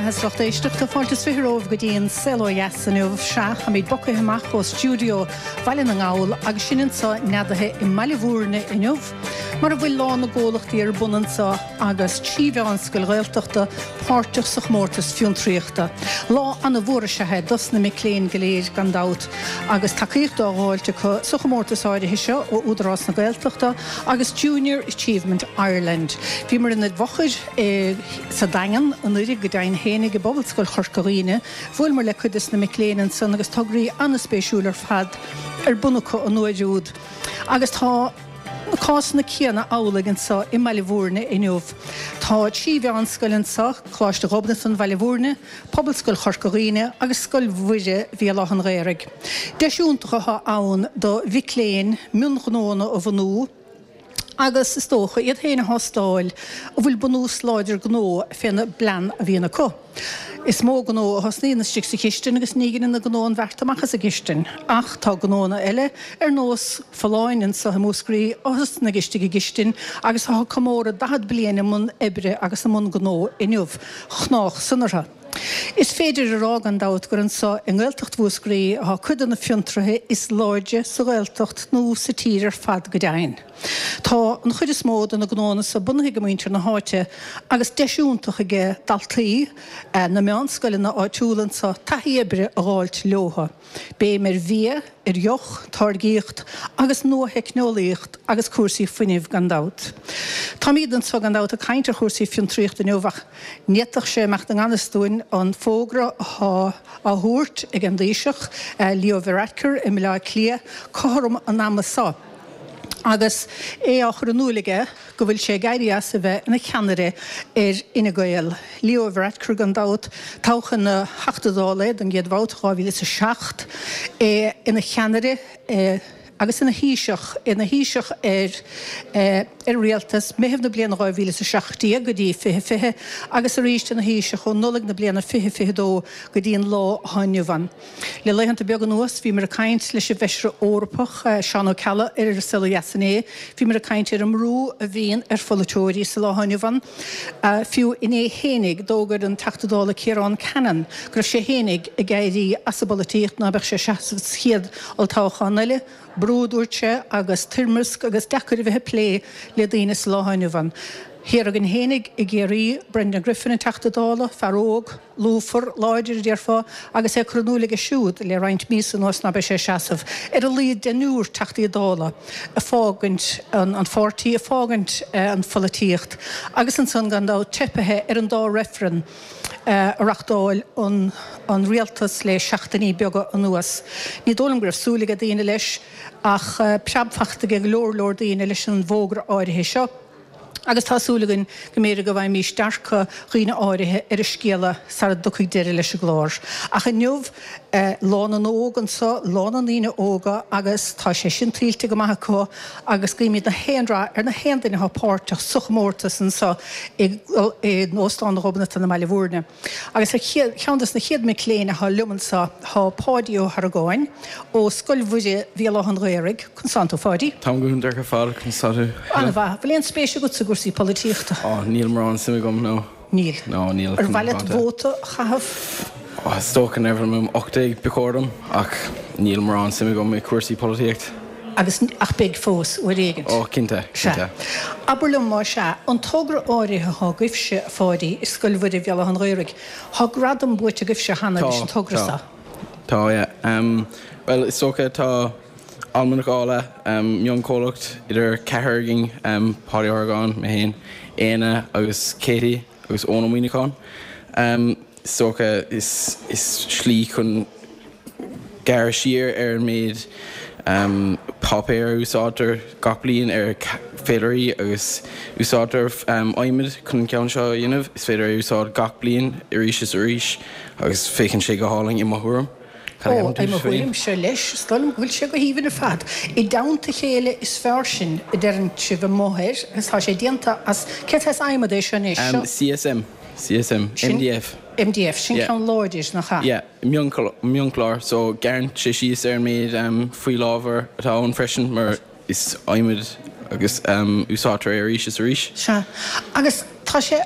beatha a lucht éisteachta, fáilte is 20 romhaibh go dtí an Saol Ó Dheas inniu. Sea, táimid bogtha amach ó stiúideo Bhaile na nGall agus sinn anseo neadaithe i mBaile Bhúirne inniu, mar a bhfuil Lá na gComhlachtaí ar bun anseo agus 3 mheánscoil Ghaeltachta páirteach sa chomórtas fiontraíochta. Lá ana-mhór is ea é dos na mic léinn go léir gan dabht agus tacaíocht á dh'fháilt acu sa chomórtas áirithe seo ó Údarás na Gaeltachta agus Junior Achievement Ireland. Bhíomar ina bhfochair i sa Daingean anuiridh go deimhin fhéinig i bPobalscoil Chorca Dhuibhne. Bhuaileamar le cuid des na mic léinn ansan agus tograí ana-spéisiúil ar fad ar bun acu an uair úd. Agus tá na cásanna céanna amhlaidh anso i mBaile Bhúirne inniu. Tá 3 mheánscoil anso, Coláiste Ghobnatan Bhaile Bhúirne, Pobalscoil Chorca Dhuibhne agus Scoil Mhuire Bhéal Átha'n Ghaorthaidh. Deis iontach atá ann do mhic léinn mionghnóanna a bhunú agus, is dócha, iad féin a thástáil an bhfuil bunús láidir gnó féna bplean a bhíonn acu. Is mó gnó a thosnaíonn istigh sa chistin agus ní dheineann an gnó an bheart amach as an gcistin. Ach tá gnóanna eile, ar nós Folláin anso i Múscraí, a thosnaigh istigh i gcistin agus atá ag comóradh 40 bliain i mbun oibre agus i mbun gnó inniu. Chnách san orthu. Is féidir a rá gan dabht gur anso i nGaeltacht Mhúscraí atá cuid de na fiontraithe is láidre sa Ghaeltacht nó sa tír ar fad go deimhin. Tá an chuid is mó de na gnóanna so bunaithe ag muintir na háite agus deis iontach aige daltaí na meánscoileanna áitiúla anso taithí oibre a dh'fháilt leotha. Béim ar bhia, ar dheoch, táirgíocht agus nua-theicneolaíocht agus cúrsaí fuinnimh gan dabht. Táimíd anso gan dabht ag caint ar chúrsaí fiontraíochta inniu ach ní fhéadfadh sé imeacht i ngan fhios dúinn an fógra atá á thabhairt ag an dTaoiseach, Leo Varadkar i mBaile Átha Cliath cothrom an ama so. Agus é á chur in iúil aige go bhfuil sé ag éirí as a bheith ina cheannaire ar Fhine Gael. Leo Varadkar gan dabht, toghadh ina Theachta Dála é don gcéad bhabhta, 2007, é ina cheannaire agus ina Thaoiseach, ina Thaoiseach ar ar rialtas, Meitheamh na bliana 2017 go dtí 2020 agus arís ina Thaoiseach ó Nollaig na bliana 2022 go dtí an lá atá inniu ann. Le laethanta beaga anuas bhíomar ag caint leis an bhFeisire Eorpach, Seán Ó Ceallaigh, ar An Saol Ó Dheas inné. Bhíomar ag caint ar an mbrú a bhíonn ar pholaiteoirí sa lá atá inniu ann. Fiú inné fhéinig, d'fhógair an Teachta Dála Ciarán Cannon go raibh sé fhéinig ag éirí as an bpolaitíocht, ná beadh sé ag seasamh sa chéad olltoghchán eile. Brú, a dúirt sé, agus toirmeasc agus deacair a bheith ag plé le daoine sa lá atá inniu ann. Thiar againn fhéinig i gCiarraí, Brendan Griffin, an Teachta Dála, fear óg, lúfar, láidir, a déarfá, agus é curtha in iúl aige siúd le roinnt míosa anuas ná beidh sé ag seasamh. Ar a laghad deichniúr Teachtaí Dála ag fágaint an pháirtí, ag fágaint an pholaitíocht agus ansan gan dabht teipithe ar an dá reifreann a reachtáil an rialtas le seachtainí beaga anuas. Ní dóigh liom go raibh súil ag daoine leis ach preab fachta ag go leor leor daoine leis an bhfógra áirithe seo. Agus tá súil againn go mb'fhéidir go bhfaighimís dearcadh dhaoine áirithe ar an scéala sara dtiocfaidh deireadh leis an gclár. Ach inniu, Lá na nÓg anso, Lá na ndaoine óga agus tá sé sin tuillte go maith acu agus guímid na haon rath ar na haon duine atá páirteach sa chomórtas anso in Óstán Ghobnatan i mBaile Bhúirne. Agus ar cheann de na chéad mic léinn atá liom anso tá Páidí Ó hArgáin ó Scoil Mhuire Bhéal Átha'n Ghaorthaidh. Conas tánn tú, a Pháidí? Táim go hiontach ar fad, conas tá tú? An-mhaith. Bhfuil aon spéis agatsa i gcúrsaí polaitíochta? Ó, níl mórán suim agam, no. Níl? No, níl. Ar mhaith leat vóta a chaitheamh? Ó, is dócha nuair a bheidh mé 18 ba chóir dom, ach níl mórán suim agam i cúrsaí polaitíocht. Agus, ach beidh fós, uair éigint. Ó, cinnte, cinnte. Sea. Abair liom, más ea, an togra áirithe atá agaibhse, a Pháidí, i Scoil Mhuire Bhéal Átha'n Ghaorthaidh, tá gradam buaite agaibhse cheana leis an togra so. Tá, tá, yeah. Bhuel, is dócha, tá Almanac Ála, mionchomhlacht idir ceathrar againn, Páidí Ó hArgáin, mé féin, Éanna agus Katie agus Eoin Ó Muíneacháin. Is dócha, is slí chun gearradh siar ar an méid páipéir a úsáidtear gach bliain ar féilirí agus úsáidtear adhmad chun an ceann seo a dhéanamh. Is féidir é a úsáid gach bliain arís is arís agus féachann sé go hálainn i mo thuairim. Ó, i mo thuairimse leis, is dóigh liom go bhfuil sé go haoibhinn ar fad. I dteannta a chéile is fearr sin, a deireann sibh amuigh air, agus tá sé déanta as, cén saghas adhmad é seo anois? Seo. CSM. CSM. MDF. MDF, sin ceann láidir, nach ea? Yeah, mionchlár, so gearrann sé síos ar an méid fuíollábhar atá ann freisin mar is adhmad agus úsáidtear é arís is arís. Sea, agus tá sé.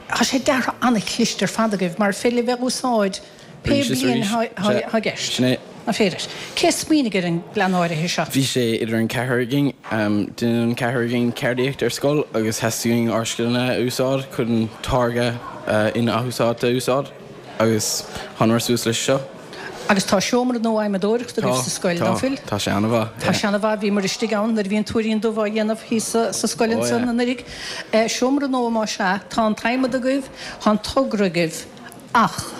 Tá sé deartha an-chliste ar fad agaibh mar féidir libh é a úsáid pé bliain atá i gceist. Sin é. Nach féidir? Cé a smaoinigh ar an bplean áirithe seo? Bhí sé idir an ceathrar againn. Déanann an ceathrar againn ceardaíocht ar scoil agus theastaigh uainn ár scileanna a úsáid chun táirge in-athúsáidte a úsáid agus thánamar suas leis seo. Agus tá seomra nua adhmadóireachta agaibh sa scoil, ná fuil? Tá, tá sé an-mhaith. Tá sé an-mhaith, bhíomar istigh ann nuair a bhí an Tuairín Dubh á dhéanamh thíos sa scoil ansan anuraidh. Seomra nua más ea, tá an t-adhmad agaibh, tá an togra agaibh, ach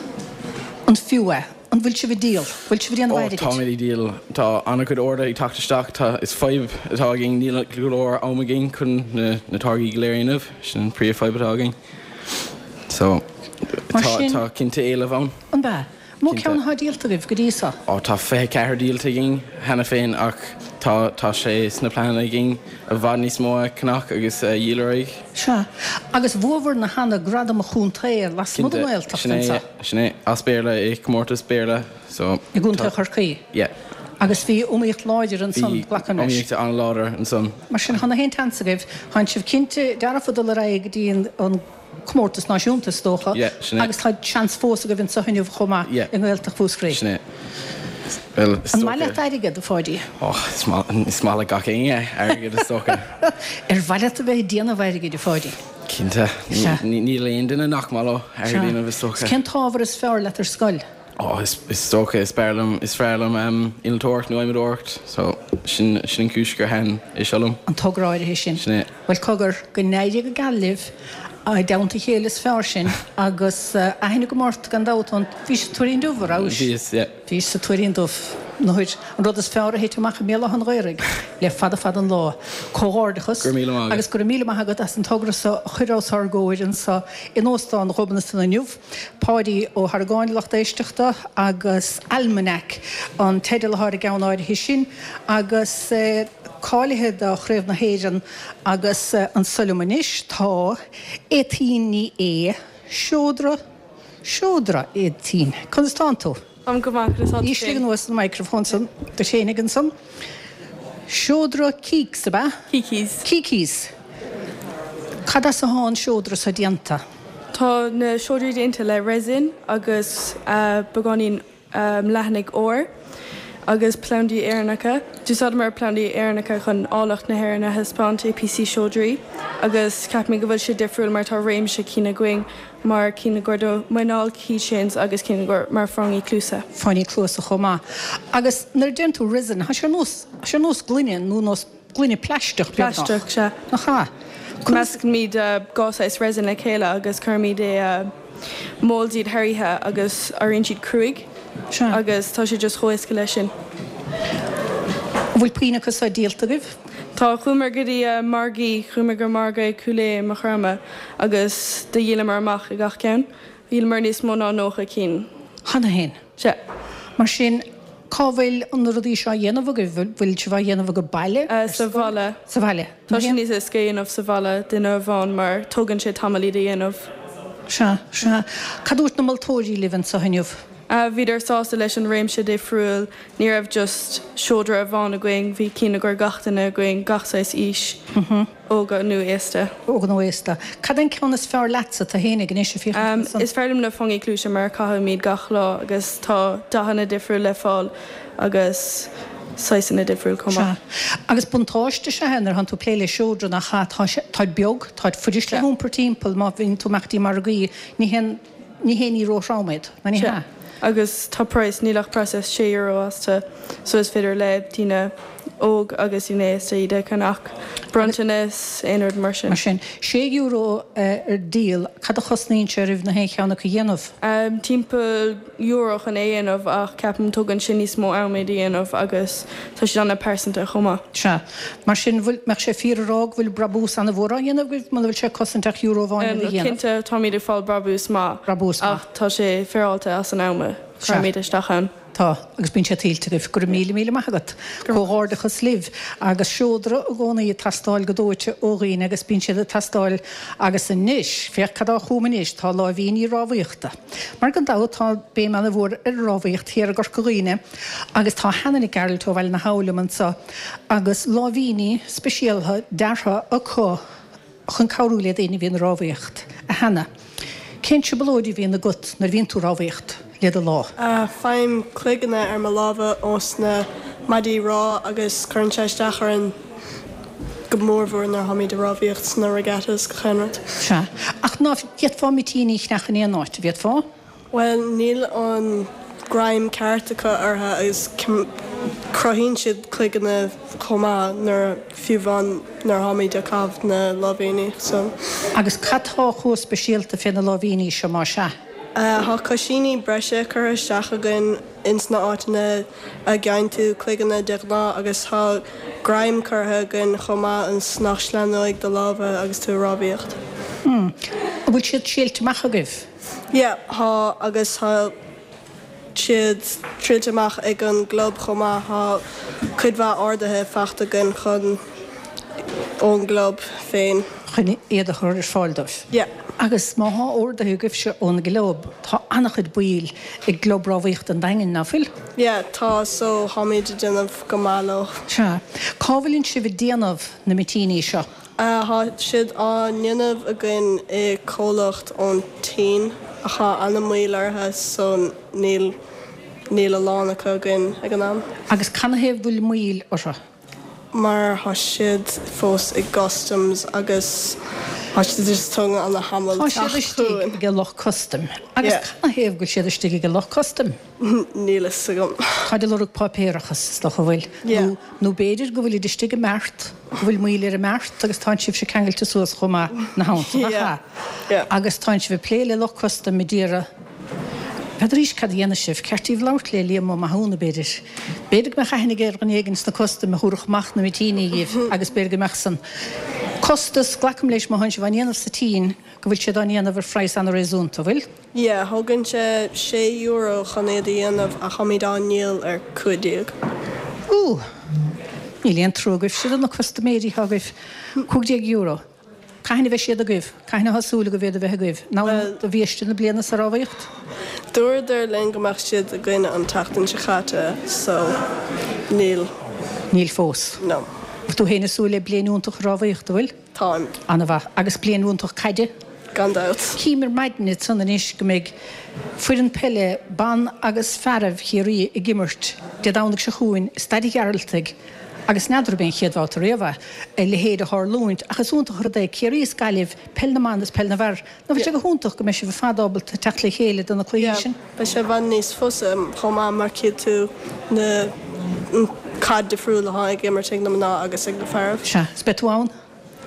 an fiú é? An bhfuil sibh ag díol? Bhfuil sibh ag déanamh airgid? Ó, táimid ag díol. Tá an-chuid orduithe ag teacht isteach. Tá, is fadhb atá againn, níl go leor am againn chun na táirgí go léir a dhéanamh. Sin an príomhfhadhb atá againn. So, tá, tá cinnte éileamh ann. An ea? Mó ceann atá díolta agaibh go dtí so? Ó tá 24 díolta againn cheana féin ach tá tá sé sna pleananna againn i bhfad níos mó a cheannach agus a dhíol ar aghaidh. Sea. Agus bhuabhair-ne cheana gradam an chontae lasmuigh den Ghaeltacht Cinnte, sin é, sin é. As Béarla i comórtas Béarla so. I gContae Chorcaí. Yeah. Agus bhí iomaíocht láidir ansan, glacaim leis. Bhí iomaíocht an-láidir ansan. Mar sin, tá na haon tseans agaibh, tánn sibh cinnte dearfa dul ar aghaidh go dtí an comórtas náisiúnta, is dócha, agus tá seans fós agaibh anseo inniu chomh maith i nGaeltacht Mhúscraí. Sin é. An maith leat airgead, a Pháidí? Ó, is maith le gach éinne airgead, is dócha. Ar mhaith leat a bheith ag déanamh airgid, a Pháidí? Cinnte. Níl aon duine nach maith leo airgead a dhéanamh, is dócha. Cén t-ábhar is fearr leat ar scoil? Ó, is dócha, is fearr liom, is fearr liom innealtóireacht nó adhmadóireacht, so sin, sin an cúis gur thaitin é seo liom. An togra áirithe sin. Sin é. Bhuel, cogar, go n-éirí go geal libh, i dteannta a chéile is fearr sinn, agus aithne agam ort gan dabht ón, bhís sa Tuairín Dubh, a rabhais? Bhíos, yeah. Bhís sa Tuairín Dubh. Nuair, an rud is fearr a thit amach i mBéal Átha an Ghaorthaidh le fada fada an lá. Comhghairdeachas. Go raibh míle maith agat. Agus go raibh míle maith agat as an togra so a chur os ár gcomhair anso in Óstán Ghobnatan inniu. Páidí Ó hArgáin, lucht éisteachta, agus Almanac an teideal atá ar an gceann áirithe sin, agus cáilithe do Chraobh na hÉireann agus anso liom anois tá Étaín Ní Aodha, Seodra, Seodra, Étaín, conas tánn tú? Táim go maith, conas tá tú féin? Ísligh anuas an microphone san duit féinig ansan. Seodra Keeks, ab ea? Kikis. Kikis. Cad as atá an seodra so déanta? Tá na seodraí déanta le resin agus beagáinín leathanaigh óir agus plandaí Éireannacha. D'úsáideamar plandaí Éireannacha chun áilleacht na hÉireann a thaispeáint i píosaí seodraí agus ceapaimid go bhfuil sé difriúil mar tá réimse cinn againn mar cinn i gcomhair do muineál, keychains agus cinn i gcomhair mar fáinní cluasa. Fáinní cluasa chomh maith. Agus nuair a deireann tú resin, tá sé ar nós, tá sé ar nós gloine nó nós gloine plaisteach beagnach. Plaisteach, sea. Nach ea? Meascaimid dhá saghas resin le chéile agus cuirimid i molds iad thar oíche agus éiríonn siad cruaidh. Sea. Agus tá sé just chomh éasca leis sin. An bhfuil puinn acu seo díolta agaibh? Tá, chuamar go dtí margaí, chuamar go margadh i Cúil Aodha i Maigh Chromtha agus do dhíolamar amach i gach ceann. Dhíolamar níos mó ná 90 cinn. Cheana féin? Sea. Mar sin, cá bhfuil na rudaí seo á dhéanamh agaibh? Bhfuil sibh á dhéanamh ag baile? Sa bhaile. Sa bhaile. Tá sé níos éasca a dhéanamh sa bhaile, duine amháin, mar tógann sé tamall iad a dhéanamh. Sea, sea. Cad dúirt na moltóirí libh anseo inniu? Bhíodar sásta leis an réimse difriúil, ní raibh just seodra amháin againn, bhí cinn i gcomhair gach duine againn, gach saghas aois, óga nó aosta. Óga nó aosta. Cad é an ceann is fearr leatsa, tú fhéinig anois ag féachaint ansan? Is fearr liom na fáinní cluaise mar caithimid gach lá agus tá dathanna difriúil le fáil agus saghsanna difriúil chomh maith. Sea. Agus buntáiste is ea é nuair atánn tú ag plé le seodra nach ea, tá sé, táid beag, táid fuirist le hiompar timpeall má bhíonn tú amach dtí margaí, ní haon. Ní haon ní róthrom iad, ná ní hea? Agus tá praghas, níl ach praghas €6 astu, so is féidir le daoine óg agus daoine aosta iad a cheannach. Bronntanas, aon rud mar sin. Mar sin, €6 ar díol, cad a chosnaíonn sé oraibh na haon cheann acu a dhéanamh? Timpeall euro chun é a dhéanamh ach ceapaim tógann sé níos mó am iad a dhéanamh agus tá siad an-pearsanta chomh maith. Sea. Mar sin, bhfuil, mbeadh sé fíor a rá go bhfuil brabús an-mhór á dhéanamh agaibh muna bhfuil sé ag cosaint ach euro amháin iad a dhéanamh? Cinnte, táimid ag fáil brabús maith. Brabús maith. Ach tá sé féaráilte as an am a chuirimid isteach ann. Tá, agus bíonn sé tuillte agaibh. Go raibh míle míle maith agat. Comhghairdeachas libh. Agus seodra i gcónaí ag teastáil go dóite ó dhaoine agus bíonn siad ag teastáil agus anois, féach cad atá chugam anois, tá láimhíní rámhaíochta. Mar gan dabht tá béim ana-mhór ar an rámhaíocht thiar i gCorca Dhuibhne agus tá Hannah Nic Gearailt ó Bhaile na hAbha liom anseo agus láimhíní speisialtha deartha acu chun cabhrú le daoine a bhíonn ag rámhaíocht. A Hannah. Cén trioblóid a bhíonn agat nuair a bhíonn tú ag rámhaíocht le do lámh? Faighim cloigeanna ar mo lámha ós na maidí rámha agus cuireann sé isteach orainn go mórmhór nuair a tháimid ag rámhaíocht sna regattas gach aon rud. Sea. Ach ná d'fhéadfá mitíní a cheannach in aon áit, an bhféadfá? Bhuel, níl an greim ceart acu orthu agus cruthaíonn siad cloigeanna chomh maith nuair, fiú amháin nuair atáimid ag caitheamh na láimhíní so. Agus cad tá chomh speisialta fé na láimhíní seo más ea? Tá coisíní breise curtha isteach againn ins na áiteanna a gheibheann tú cloigeanna de ghnáth agus tá greim curtha againn chomh maith ionas nach sleamhnóidh do lámha agus tú ag rámhaíocht. An bhfuil siad triailte amach agaibh? Yeah, tá agus tá siad triailte amach ag an gclub chomh maith. Tá cuid mhaith orduithe faighte againn chun ón gclub féin. Chun iad a chur ar fáil dóibh. Yeah. Agus má thá orduithe agaibhse ón gclub, tá an-chuid baill i gClub Rámhaíochta an Daingin, ná fuil? Yeah, tá, so táimid ag déanamh go maith leo. Sea. Cá bhfuileann sibh ag déanamh na mitíní seo? Tá siad á ndéanamh againn i comhlacht ón tSín ach tá ana-mhoill orthu so níl níl a lán acu againn ag an am. Agus canathaobh bhfuil moill orthu? Mar tá siad fós i gcustoms agus tá siad just tógann ana-thamall Tá siad teacht istigh chugainn. ag lucht custaim. Agus Yeah. canathaobh go bhfuil siad istigh ag lucht custaim? Níl fhios agam. Táid ag lorg páipéarachas, is dócha, an bhfuil? Yeah. Nó, nó b'fhéidir go bhfuilid istigh i mbeart, go bhfuil moill ar an mbeart agus tánn sibhse ceangailte suas chomh maith ina theannta, nach Yeah. ea? Yeah. Agus tánn sibh ag plé le lucht custaim ag iarraidh, n'fheadar cad a dhéanfaidh sibh, ceart daoibh labhairt le Liam Ó Mathúna, b'fhéidir. B'fhéidir go mbeadh aithne aige ar dhuine éigin sna custaim a thabharfadh amach na mitíní dhíbh agus b'fhéidir go mbeadh san costas, glacaim leis má thánn sibh á ndéanamh sa tSín, go bhfuil siad á ndéanamh ar phraghas an-réasúnta, an bhfuil? Yeah, thógann sé €6 chun iad a dhéanamh ach táimid á ndíol ar 15. Ooh! Níl aon trua agaibhse do na custaiméirí atá agaibh. €15. Cathain a bheidh siad agaibh? Cathain atá súil agaibh iad a bheith agaibh? In am do bhiaiste na bliana sa rámhaíocht? Dúradar linn go mbeadh siad againn an tseachtain seo caite so níl. Níl fós. No. Bhfuil tú féin ag súil le bliain iontach rámhaíochta, bhfuil? Táim. Ana-mhaith. Agus bliain iontach caide? Gan dabht. Cím ar maidin ansan anois go mbeidh foireann peile ban agus fearaibh Chiarraí ag imirt Dé Domhnaigh seo chugainn i Staid an Ghearaltaigh agus n'fheadar ab é an chéad bhabhta riamh é a leithéid a tharlúint ach is iontach an rud é Ciarraí is Gaillimh, peil na mban is peil na bhfear. Nach bhfuil sé go hiontach go mbeidh sibh ar fad ábalta teacht le chéile do na cluichí Yeah, sin? beidh sé i bhfad níos fusa chomh maith mar cífidh tú na caid difriúil atá ag imirt ag na mná agus ag na fearaibh. Sea, is beidh tú ann?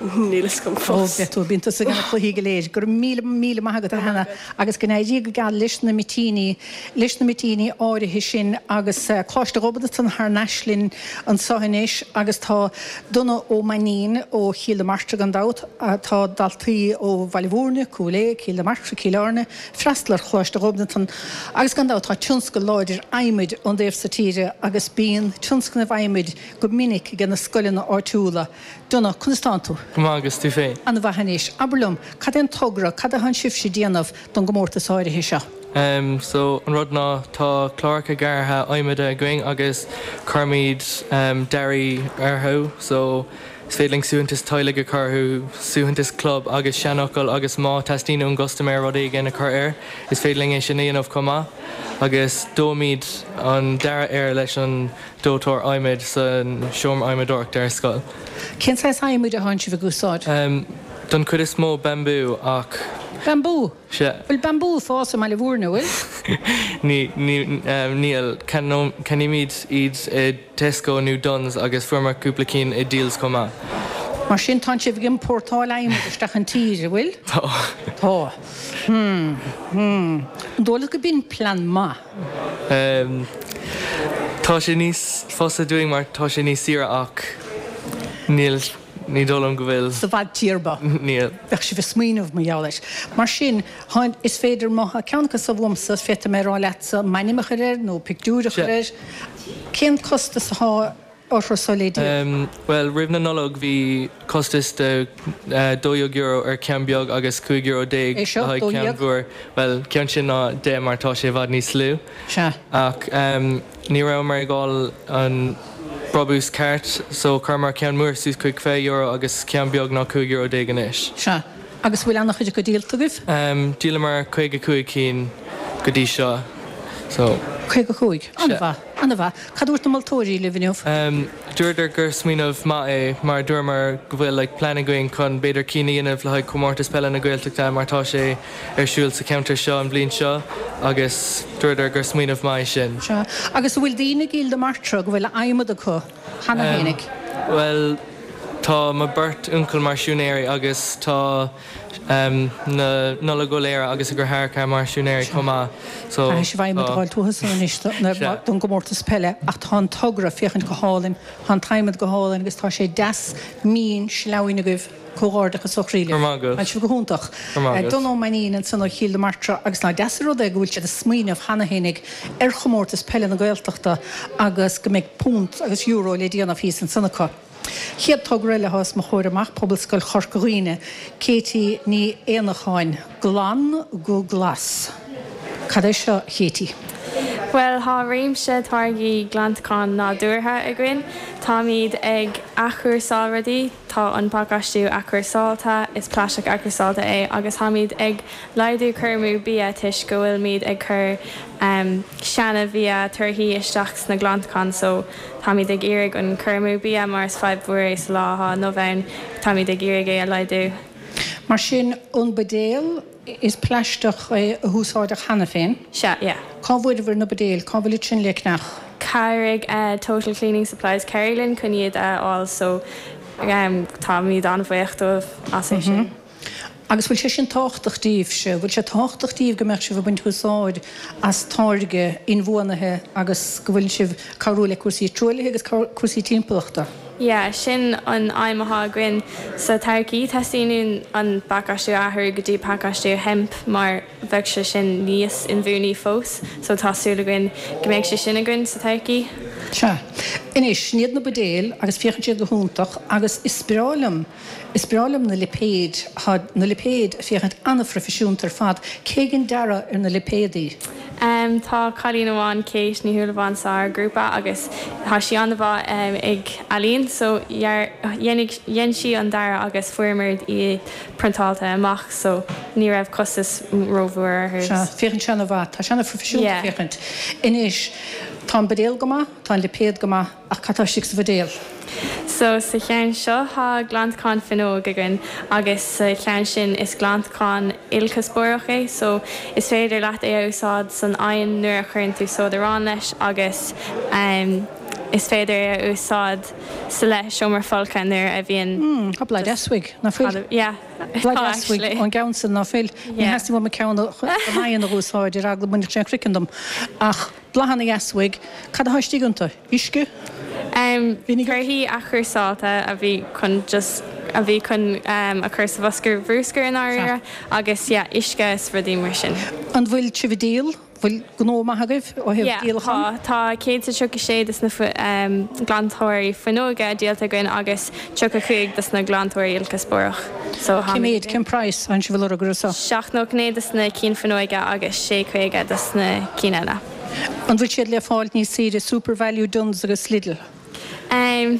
Níl fhios agam Ó, fós. beidh tú, bíonn tusa ag na cluichí go léir. Go raibh míle, míle maith agat, a Hannah, agus go n-éirí go geal leis na mitíní, leis na mitíní áirithe sin agus Coláiste Ghobnatan thar n-ais linn anseo anois agus tá Donagh Ó Mainnín ó Chill na Martra gan dabht, tá daltaí ó Bhaile Mhúirne, Cúil Aodha, Cill na Martra, Cill Airne, freastal ar Choláiste Ghobnatan agus gan dabht tá tionscal láidir adhmaid ón dtaobh so tíre agus bíonn tionscnaimh adhmaid go minic ag na scoileanna áitiúla. Donagh, conas tánn tú? Go maith, agus tú féin? An-mhaith anois. Abair liom, cad é an togra, cad atánn sibhse ag déanamh don gcomórtas áirithe seo? Em, so, an rud ná, tá cláracha gearrtha adhmaid againn agus cuirimid, em, dearaí orthu, so, is féidir linn suaitheantas teaghlaigh a chur orthu, suaitheantas club agus seanfhocal agus má teastaíonn ón gcustaiméir rud éigin a chur air, is féidir linn é sin a dhéanamh chomh maith. Agus dóimid an dearadh air leis an dóiteoir adhmaid san seomra adhmadóireachta ar scoil. Cén saghas adhmaid atánn sibh ag úsáid? Don chuid is mó bambú ach. Bambú? Sea. Bhfuil bambú ag fás i mBaile Mhúirne, bhfuil? Níl. Ceannaímid iad i Tesco nó Dunnes agus fuaireamar cúpla cinn i Dealz chomh maith. Mar sin tánn sibh ag iompórtáil adhmaid isteach an tír, an bhfuil? Tá. Tá. Hmm. Hmm. An dóigh leat go b'in plean maith? Tá sé níos fusa dúinn mar tá sé níos saoire ach níl, ní dóigh liom go bhfuil. Sa bhfadtéarma. Níl. Bheadh sibh ag smaoineamh mar gheall air. Mar sin, tá, is féidir, má tá ceann acu so uaimse, féadfaidh mé a rá leatsa m'ainm a chur air nó pictiúr a chur air. Cén costas atá orthu so le díol? Bhuel, roimh na Nollag bhí costas de €12 ar cheann beag agus €15 É le seo, haghaidh ceann 12? mhór. Bhuel, ceann sin ná 10 mar tá sé i bhfad níos lú. Sea. Ach ní rabhamar ag fháil an brabús ceart so chuireamar ceann mór suas chuig €20 agus ceann beag ná €15 anois. Sea. Agus bhfuil an-chuid acu díolta agaibh? Dhíolamar 55 cinn go dtí seo so. 55? An-mhaith, an-mhaith. Cad a dúirt na moltóirí libh inniu? Dúradar gur smaoineamh maith é mar dúramar go bhfuil like plean againn chun b'fhéidir cinn a dhéanamh le haghaidh Comórtas Peile na Gaeltachta mar tá sé ar siúl sa cheantar seo an bhliain seo agus dúradar gur smaoineamh maith é sin. Sea. Agus an bhfuil daoine i gCill na Martra go bhfuil adhmad acu cheana fhéinig? Bhuel tá mo beirt uncail mar siúinéirí agus tá na Nollaig Ó Laoire agus a dheartháireacha mar siúinéirí chomh maith so Caithfidh sibh adhmad a fháil uathu san anois don gcomórtas peile ach tá an togra féachaint go hálainn, tá an t-adhmad go hálainn agus tá sé deas mín sleamhain agaibh. Comhghairdeachas ó chroí libh. Go raibh maith agat. Tá sibh go hiontach. Go raibh maith agat. Donn Ó Mainnín ansan ó Chill na Martra agus nach deas an rud é go bhfuil siad ag smaoineamh cheana fhéinig ar chomórtas peile na Gaeltachta agus go mbeidh punt agus euro le déanamh thíos ansan acu. Chéad togra eile atá os mo chomhair amach, Pobalscoil Chorca Dhuibhne, Katie Ní Éanacháin, Glan go Glas. Cad é seo, a Katie? Bhuel, tá réimse táirgí glantacháin nádúrtha againn. Táimid ag athchúrsáil rudaí. Tá an pacáistiú athchúrsáilte, is plaisteach athchúrsáilte é, agus táimid ag laghdú cur amú bia toisc go bhfuilimid ag cur seana bhia, torthaí isteach sna glantacháin so táimid ag iarraidh an cur amú bia mar is fadhb mhór é sa lá atá inniu ann, táimid ag iarraidh é a laghdú. Mar sin, an buidéal, Is plaisteach é a húsáideadh cheana féin. Sea, yeah. Cá bhfuaireabhair na buidéil? Cá bhfuil iad sin le ceannach? Chabhraigh Total Cleaning Supplies Kerry linn chun iad a fháil so táimid an-bhuíoch dóibh as é sin. Agus bhfuil sé sin tábhachtach daoibhse? Bhfuil sé tábhachtach daoibh go mbeadh sibh ag baint úsáid as táirge inbhuanaithe agus go bhfuil sibh ag cabhrú le cúrsaí truaillithe agus cúrsaí timpeallachta? Yeah, sin an aidhm atá againn sa todhchaí. Teastaíonn uainn an pacáistiú a athrú go dtí pacáistiú hemp mar bheadh sé sin níos inbhuanaí fós. So tá súil againn go mbeidh sé sin againn sa todhchaí. Sea. Anois, sin iad na buidéil agus féachann siad go hiontach agus is breá liom, is breá liom na lipéid. Tá na lipéid ag féachaint an-phroifisiúnta ar fad. Cé dhein dearadh ar na lipéadaí? Tá cailín amháin, Kate Ní Shúilleabháin, sár ghrúpa agus tá sí an-mhaith ag ealaín so dhein sí an dearadh agus fuaireamar iad priontáilte amach so ní raibh costas rómhór orthu. Sea, féachann sé an-mhaith. Tá sé an-phroifisiúnta Yeah. féachaint. Anois, tá an buidéal go maith, tá an lipéad go maith, Ach cad tá istigh sa bhuidéal? So, sa cheann seo tá glantachán fuinneog againn agus sa cheann sin is glantachán ilchuspóireach é so is féidir leat é a úsáid san oigheann nuair a chuireann tú sóid aráin leis agus is féidir é a úsáid sa leathsheomra folctha nuair a bhíonn Mm, tá blas deas uaidh, ná fuil? Yeah, Blas tá deas uaidh actually. ón gceann san, ná fuil? Ní Yeah. theastaíonn uaim an ceann don oigheann a úsáid ar eagla go mbainfeadh sé an craiceann dom. Ach blas ana-dheas uaidh. Cad atá istigh iontu? Uisce? Vinegar? Torthaí athchúrsáilte a bhí chun just a bhí chun a chur sa bhosca bhrúscair i ndáiríre agus yeah uisce is rudaí mar sin. An bhfuil sibh ag díol? Bhfuil gnó maith agaibh ó thaobh Yeah díolachán? tá. Tá 136 des na glantóirí fuinneoige díolta againn agus 35 des na glantóirí ilchuspóireach. So Cé méid, cén praghas atánn sibh ag lorg orthu seo? 7.99 des na cinn fuinneoige agus 6.50 des na cinn eile. An bhfuil siad le fáil níos saoire i Supervalu, Dunnes agus Lidl? Em,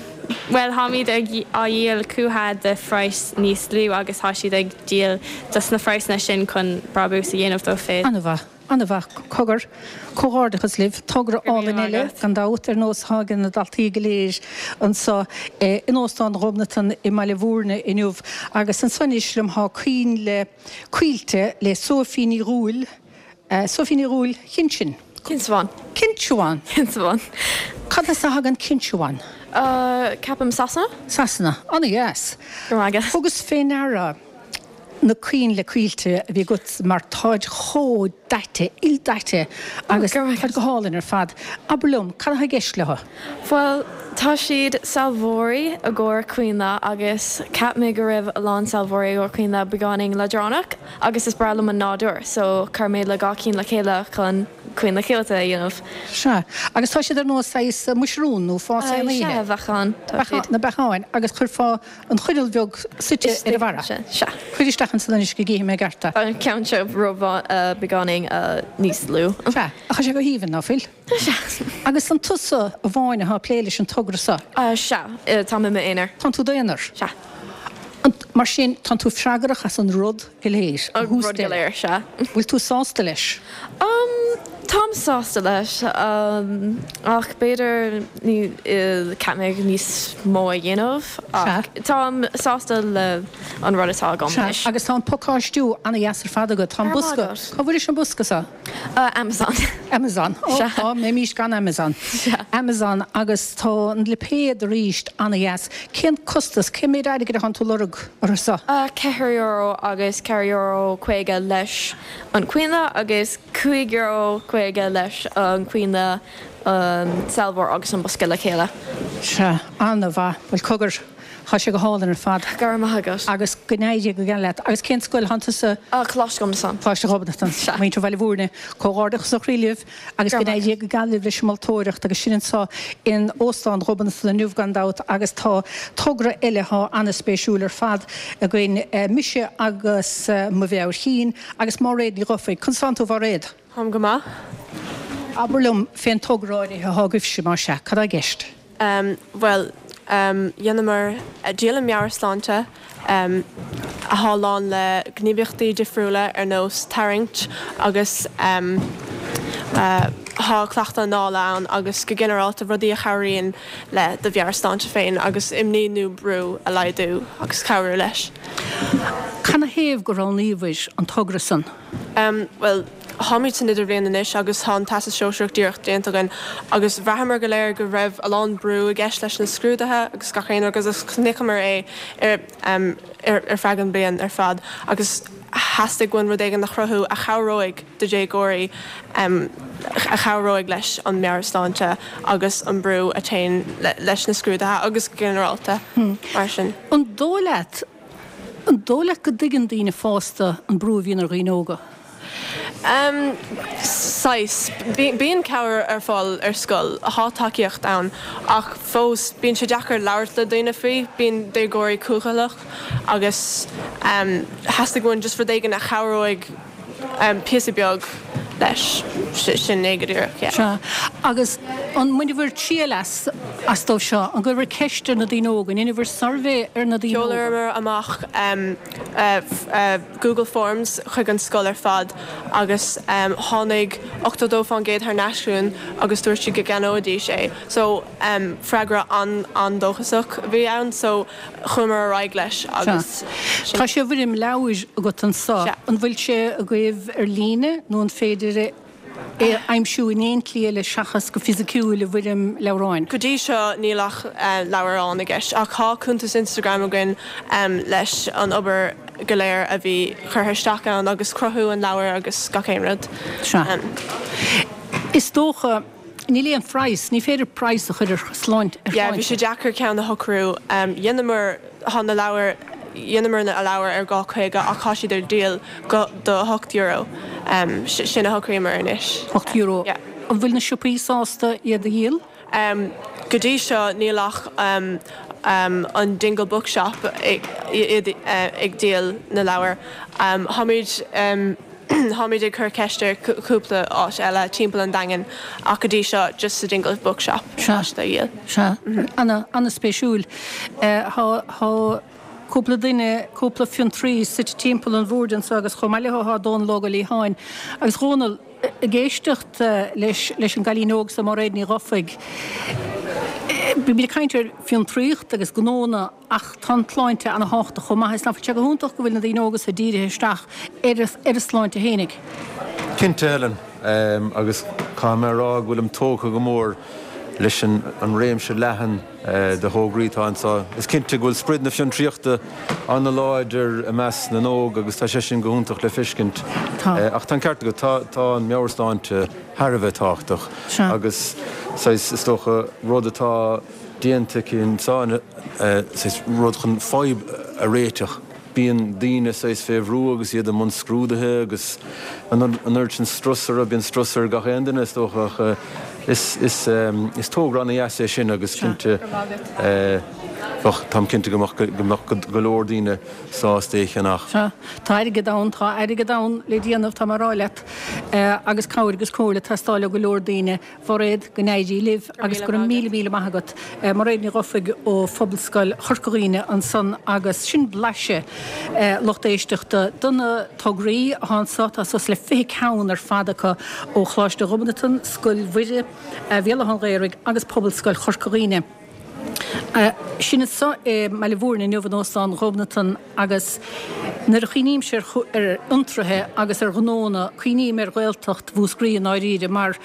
bhuel táimid ag á dhíol chucu do phraghas níos lú agus tá siad ag díol dos na praghsanna sin chun brabús a dhéanamh dóibh féin. An-mhaith, an-mhaith. Cogar, comhghairdeachas libh. Togra Go raibh álainn míle eile, maith agat. gan dabht, ar nós atá ag na daltaí go léir anseo in Óstán Ghobnatan i mBaile Bhúirne inniu. Agus anso anois liom tá coinnle coillte le Sophie Ní Dhúill, Sophie Ní Dhúill, Chinshin. Cinsabhán. Cinsabhán. Cinsabhán. Cad as a thagann Cinsabhán? Ceapaim Sasana. Sasana. Ana-dheas. Go raibh maith agat. Thugas fé ndeara na coinnle coillte a bhí agat mar táid chomh daite, ildaite agus táid go hálainn ar fad. Abair liom, cad atá i gceist leo? Bhuel, tá siad sealbhóirí i gcomhair coinnle agus cheap mé go raibh a lán sealbhóirí i gcomhair coinnle beagáinín leadránach agus is breá liom an nádúr so chuir mé le dhá cinn le chéile chun coinnle coillte a dhéanamh. Sea. Agus tá siad ar nós saghas muisiriún nó fás aon oíche. Sea, beacháin. Tá siad. Na beacháin agus chuirfeá an choinneal bheag suite ar a bharra. Sea. Cuir isteach ansan anois go gcífidh mé i gceart é. Tá an ceann seo beagáinín níos lú. Sea. Ach tá sé go haoibhinn, ná fuil? Sea. Agus an tusa amháin atá ag plé leis an togra seo? Sea, táim i m'aonar. Tánn tú d'aonar? Sea. An. Mar sin, tánn tú freagrach as an rud go léir, ó thús deireadh. An rud go léir, sea. Bhfuil tú sásta leis? Umm, táim sásta leis, ach b'fhéidir caithfidh mé níos mó a dhéanamh, ach táim sásta le an rud atá agam anois. Sea, agus tá an pacáistiú ana-dheas ar fad agat. Tá an bosca, cá bhfuairis an bosca seo? Amazon. Amazon. Ó, cá mbeimís gan Amazon? Amazon agus tá an lipéad arís ana-dheas. Cén costas, cén méid airgid atánn tú lorg orthu seo? €4 agus €4.50 leis an coinnle agus €5.50 leis an coinnle, an sealbhóir agus an bosca le chéile. Sea, ana-mhaith. Bhuel, cogar. Tá sé go hálainn ar fad. Go raibh maith agat. Agus go n-éirí go geal leat. Agus cén scoil a thánn tusa? Coláiste Ghobnatan. Coláiste Ghobnatan. Sea. Muintir Bhaile Bhúirne. Comhghairdeachas ó chroí libh agus go n-éirí go geal libh leis an moltóireacht agus sinn anseo in Óstán Ghobnatan inniu gan dabht agus tá togra eile atá an-spéisiúil ar fad againn, mise agus mo mheabhair chinn agus Máiréad Ní Dhufaigh. Conas tánn tú a Mháiréad? Táim go maith. Abair liom fén togra áirithe atá agaibhse, más ea. Cad tá i gceist? Bhuel, dheineamar dialann meabhairshláinte athá lán le gníomhaíochtaí difriúla ar nós tarraingt agus thá cleachtadh anála ann agus go ginearálta rudaí a chabhraíonn le do mheabhairshláinte féin agus imní nó brú a laghdú agus cabhrú leis. Canathaobh gur roghnaíobhair an togra san? Bhuel, Táimid san idirbhliain anois agus tá an Teastas Sóisearach díreach déanta againn agus bhraitheamar go léir go raibh a lán brú i gceist leis na scrúduithe agus gach aon rud agus chonaiceamar é ar feadh an bliain ar fad agus theastaigh uainn rud éigin a chruthú a chabhróidh do dhéagóirí, a chabhróidh leis an meabhairshláinte agus an brú a théann leis na scrúduithe agus go ginearálta mar sin. An dóigh leat An dóigh leat go dtuigeann daoine fásta an brú a bhíonn ar dhaoine óga? Saghas. Bíonn cabhair ar fáil ar scoil, thá tacaíocht ann, ach fós bíonn sé deacair labhairt le daoine faoi, bíonn déagóirí cúthaileach agus theastaigh uainn just rud éigin a chabhróidh píosa beag leis, sin é go díreach, yeah. Sea. Agus an mbainibhir triail as, astu seo? An gcuireabhair ceist ar na daoine óga? An ndeineabhair suirbhé ar na daoine óga? Sheolamar amach Google Forms chuig an scoil ar fad agus tháinig 82% thar n-ais chugainn agus dúirt siad go gceannóidís é. So, freagra an-an-dóchasach a bhí ann. So, chuamar ar aghaidh leis agus sin. Tá sé i bhfoirm leabhair agat anso. An bhfuil sé agaibh ar líne nó an féidir é a aimsiú in aon tslí eile seachas go fisiciúil i bhfoirm leabhráin? Go dtí seo níl ach leabhrán i gceist ach tá cuntas Instagram againn leis an obair go léir a bhí curtha isteach ann agus cruthú an leabhair agus gach aon rud. Sea. Is dócha. Níl aon phraghas, ní féidir praghas a chur ar shláinte. Yeah, bhí sé deacair ceann a shocrú. Dheineamar, thá na leabhair, dheineamar na leabhair ar 2.50 ach thá siad ar díol go, do €8. Sin a shocraíomar anois. €8. Yeah. An bhfuil na siopaí sásta iad a dhíol? Go dtí seo níl ach an Dingle Bookshop ag, ag díol na leabhar. Tháimid. Táimid ag cur ceist ar chúpla áit eile timpeall an Daingin ach go dtí seo just sa Dingle Bookshop atá siad á dhíol. Sea, ana-spéisiúil. Tá cúpla duine, cúpla fiontraí suite timpeall an bhoird anseo agus chomh maith leo tá Dónal Óg Ó Liatháin. Agus Dhónal, ag éisteacht leis an gcailín óg seo, Máiréad Ní Dhufaigh, bímid ag caint ar fiontraíocht agus gnónna, Ach tá an tsláinte ana-thábhachtach chomh maith. Is nach bhfuil sé go hiontach go bhfuil na daoine óga so dírithe isteach ar a sláinte fhéinig. Cinnte, Helen. Agus caithfidh mé a rá go bhfuilim tógtha go mór leis an réimse leathan de thograí atá anseo. Is cinnte go bhfuil sprid na fiontraíochta ana-láidir i measc na n-óg agus tá sé sin go hiontach le feiscint. Ach tá an ceart agat, tá an meabhairshláinte thar a bheith tábhachtach agus saghas, is dócha, rud atá déanta aici anseo, saghas rud chun fadhb a réiteach. Bíonn daoine saghas fé bhrú agus iad i mbun scrúduithe agus an oiread sin strus orthu, bíonn strus ar gach aon duine is dócha ach is togra ana-dheas é sin agus cinnte. Bheadh, táim cinnte go mbeadh, go mbeadh go leor daoine sásta é a cheannach. Sea, tá airgead ann, tá airgead ann le déanamh, tá mé a rá leat, agus cabhair agus comhairle ag teastáil ó go leor daoine. Mhairéad, go n-éirí libh agus go raibh míle míle maith agat. Mairéad Ní Dhufaigh ó Phobalscoil Chorca Dhuibhne ansan agus sin blaiseadh, lucht éisteachta, de na tograí atá anso, tá suas le 20 ceann ar fad acu ó Choláiste Ghobnatan, Scoil Mhuire, Bhéal Átha an Ghaorthaidh agus Pobalscoil Chorca Dhuibhne. Sinn anso i mBaile Mhúirne inniu in Óstán Ghobnatan agus nuair a chuimhnímse ar fhiontraithe agus ar ghnónna, cuimhním ar Ghaeltacht Mhúscraí i ndáiríre mar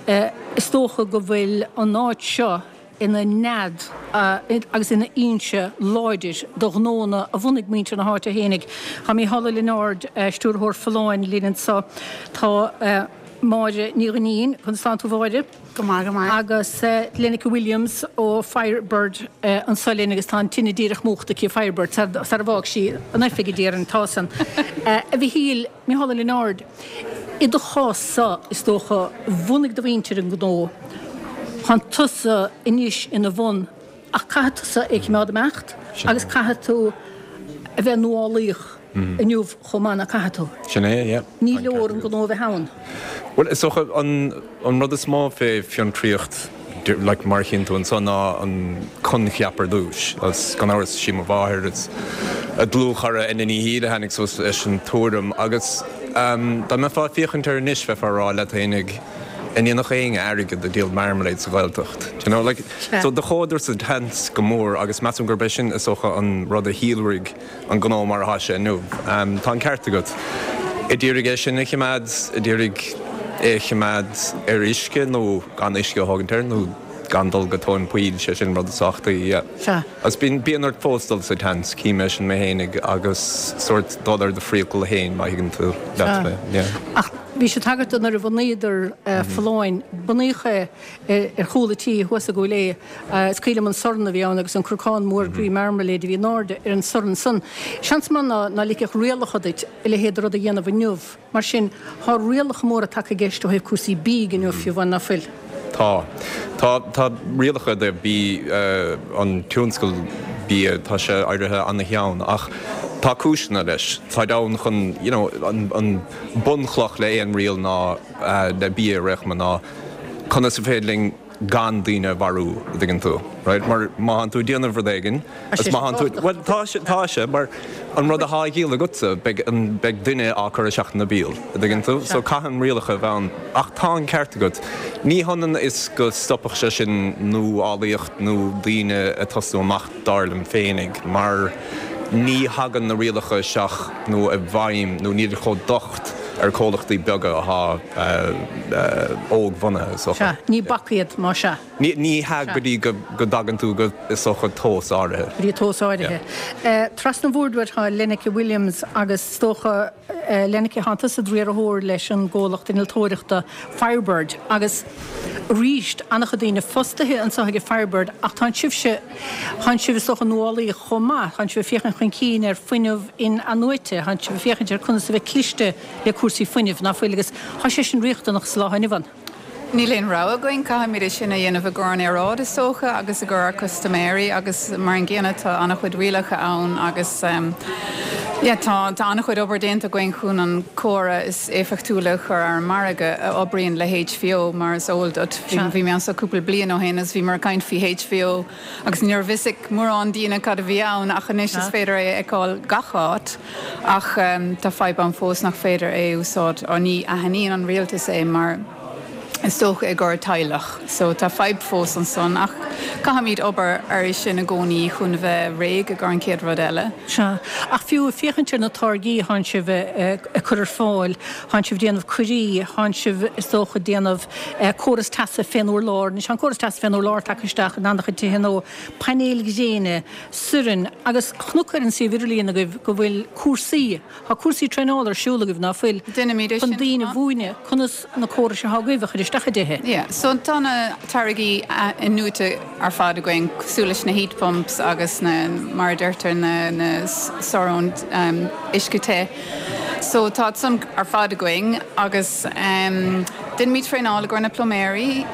is dócha go bhfuil an áit seo ina nead agus ina fhoinse láidir do ghnónna a bhunaigh muintir na háite fhéinig. Tá Mícheál Ó Lionáird, Stiúrthóir Folláin linn anso. Tá Máire Ní Dhuinnín, conas tánn tú a Mháire? Go maith, go maith. Agus Lenneke Williams ó Firebird anso linn agus tá an tine díreach múchta aici, Firebird, sar a bhfág sí an oifig a déarfainn, tá san. A Mhichíl, Mícheál Ó Lionáird, i do chás-sa, is dócha, bhunaigh do mhuintir an gnó, tánn tusa anois ina bhun, ach caithfidh tusa é a choimeád ag imeacht agus caithfidh tú a bheith nuálaíoch inniu chomh maith, nach gcaithfidh tú? Sin é, yeah. Ní leor an gnó a bheith ann. Bhuel, is dócha an an rud is mó fé fiontraíocht, like, mar a chíonn tú anso, ná an coincheap ar dtús. Agus gan amhras, sí mo mháthair is a dlúthchara Enda Ní Shíle a tháinig suas leis an tuairim. Agus dá mbeifeá ag féachaint air anois, bheifeá ag rá leat fhéinig, an ndéanfadh éinne airgead ag díol marmalade sa Ghaeltacht? Do you know, like, so do chuadar sa tseans go mór agus measaim gurb é sin, is dócha, an rud a shíolraigh an gnó mar atá sé inniu. Tá an ceart agat. A d'iarraidh é sin a choimeád, a d'iarraidh é a choimeád ar uisce nó gan uisce a thógaint air nó gan dul go tóin poill, sé sin rud is tábhachtaí, yeah. Sea. Agus bíonn, bíonn ort fós dul sa tseans, cím é sin mé fhéinig agus sórt dul ar do phriacal fhéin má thuigeann tú leat mé, yeah. Ach bhí sé ag tagairt do nuair a bhunaíodar Folláin, bunaíodh é ar chúl a' tí thuas i gCúil Aodha. Is cuimhin liom an sorn a bhí ann agus an crocán mór groí marmalade a bhí in airde ar an sorn san. Seans maith ná ná ligfeadh rialacha duit a leithéid de rud a dhéanamh inniu. Mar sin, thá rialacha móra tagtha i gceist ó thaobh cúrsaí bídh inniu fiú amháin, ná fuil? Tá. Tá, tá rialacha i dtaobh bídh, an tionscal bia, tá sé éirithe ana-theann ach tá cúiseanna leis. Táid ann chun, you know, an, an bunchloch le aon riail ná, le bia ar aon chuma ná conas is féidir linn gan daoine a mharú, a dtuigeann tú, right? Mar má thánn tú ag déanamh rud éigin, agus má thánn tú, bhuel, tá sé, tá sé, mar an rud athá á dhíol agatsa, beidh an, beidh duine á cur isteach ina béal, a dtuigeann tú? So caithfidh an rialacha a bheith ann. Ach tá an ceart agat, ní hionann is go stopfadh sé sin nuálaíocht nó daoine ag tosnú amach, dar liom féinig, mar ní thagann na rialacha isteach nó i bhfeidhm nó nílid chomh docht ar comhlachtaí beaga athá óg-bhunaithe, is dócha. Sea, ní bac iad, más ea. Ní hea go dtí go dtagann tú go, is dócha, tomhas áirithe. Go dtí tomhas áirithe. Trasna an bhoird uait tá Lenneke Williams agus is dócha, Lenneke, thánn tusa i do riarthóir leis an gcomhlacht innealtóireachta Firebird agus arís, an-chuid daoine fostaithe anseo ag Firebird ach tánn sibhse, Thánn sibh, is dócha, nuálaíoch chomh maith. Thánn sibh ag féachaint chun cinn ar fuinneamh in-athnuaite. Thánn sibh ag féachaint ar conas a bheith cliste le cúrsaí fuinnimh, ná fuil? Agus thá sé sin riachtanach sa lá inniu ann. Níl aon rogha againn, caithfimid é sin a dhéanamh i gcomhair an aeráid is dócha agus i gcomhair ár custaiméirí agus mar an gcéanna tá an-chuid rialacha ann agus yeah tá tá an-chuid obair déanta againn chun an córas is éifeachtúla a chur ar an margadh a oibríonn le HVO mar is eol duit. Bhí mé anso cúpla bliain ó shin agus bhíomar ag caint faoi HVO agus ní raibh fhios ag mórán daoine cad a bhí ann ach anois is féidir é a fheiceáil gach áit ach tá fadhb ann fós nach féidir é a úsáid ó ní aithníonn an rialtas é mar is dócha i gcomhair teaghlach so tá fadhb fós ansan ach caithfimid obair air sin i gcónaí chun a bheith réidh i gcomhair an chéad rud eile. Sea, ach fiú ag féachaint ar na táirgí thánn sibh ag cur ar fáil, thánn sibh ag déanamh coirí, thánn sibh is dócha ag déanamh córas teasa fén urlár, anois tá an córas teasa fén urlár tagtha isteach in an-chuid tithe nó painéil ghréine, soirn, agus chonac ar an suíomh idirlíon agaibh go bhfuil cúrsaí, tá cúrsaí traenála ar siúl agaibh, ná fuil, Déanaimid é chun sin daoine a chomh maith. mhúineadh conas na córais atá agaibh a chur isteach i dtithe. Yeah, so tá na táirgí in-athnuaite ar fad againn, cosúil leis na heat pumps agus na, mar a deirtear, na, na sorn uisce te. So tá san ar fad againn agus. Déanaimid traenáil i gcomhair na pluiméirí,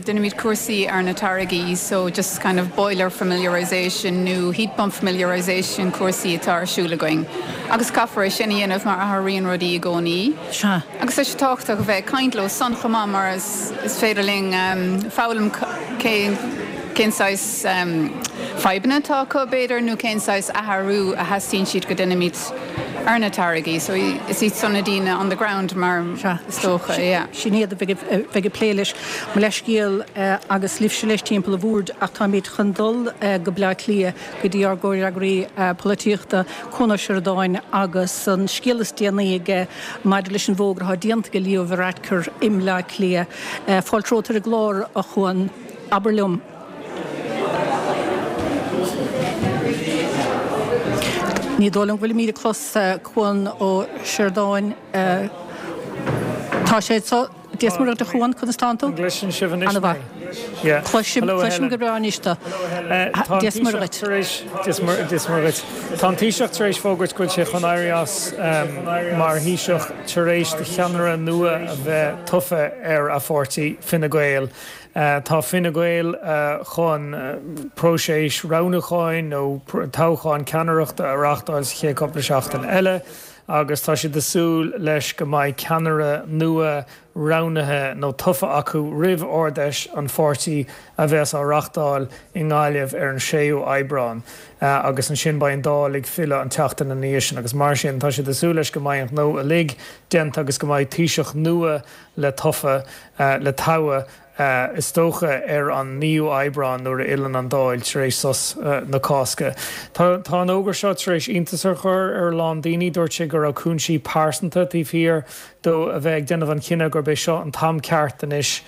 déanaimid cúrsaí ar na táirgí so just kind of boiler familiarisation nó heat pump familiarisation cúrsaí atá ar siúl againn agus caithfear é sin a dhéanamh mar athraíonn rudaí i gcónaí. Sea. Agus tá sé tábhachtach a bheith ag caint leo san chomh maith mar is féidir linn foghlaim cén cén saghas fadhbanna atá acu b'fhéidir nó cén saghas athrú a theastaíonn siad go déanaimid ar na táirgí. So is iad san na daoine on the ground mar is dócha, yeah. Sin iad a bheidh ag plé leis. Mo leithscéal agus libhse leis timpeall an bhoird ach táimid chun dul go Bleá Cliath go dtí ár gcomhfhreagraí polaitíochta, Cuan Ó Seireadáin agus an scéal is déanaí aige maidir leis an bhfógra atá déanta ag Leo Varadkar i mBleá Cliath. Fáilte romhat ar an gclár, a Chuan. Abair liom. Ní dóigh liom go bhfuilimid ag clos Cuan Ó Seireadáin. Tá sé anseo. Dia is Muire dhuit a Chuan, conas tánn tú? An gcloiseann sibh anois mé? An-mhaith. Cloisim, cloisim go breá anois tú. Dia is Muire dhuit. Dia is Muire dhuit. Tá an Taoiseach tar éis fógairt go bhfuil sé chun éirí as mar Thaoiseach tar éis do cheannaire nua a bheith tofa ar a pháirtí, Fine Gael. Tá Fine Gael chun próiseas roghnúcháin nó toghchán ceannaireachta a reáchtáil sa chéad cúpla seachtain eile agus tá siad ag súil leis go mbeidh ceannaire nua roghnaithe nó tofa acu roimh Ard-Fheis an pháirtí a bheas á reáchtáil i nGaillimh ar an 6ú Aibreán agus ansin beidh an Dáil ag filleadh an tseachtain ina dhiaidh sin agus mar sin tá siad ag súil leis go mbeidh an gnó uilig déanta agus go mbeidh Taoiseach nua le tofa, le toghadh, is dócha ar an 9ú Aibreán nuair a fhilleann an Dáil tar éis sos na Cásca. Tá an fhógra seo tar éis iontas a chur ar a lán daoine. Dúirt sé go raibh cúinsí pearsanta taobh thiar dó a bheith ag déanamh an chinnidh gurb é seo an t-am ceart anois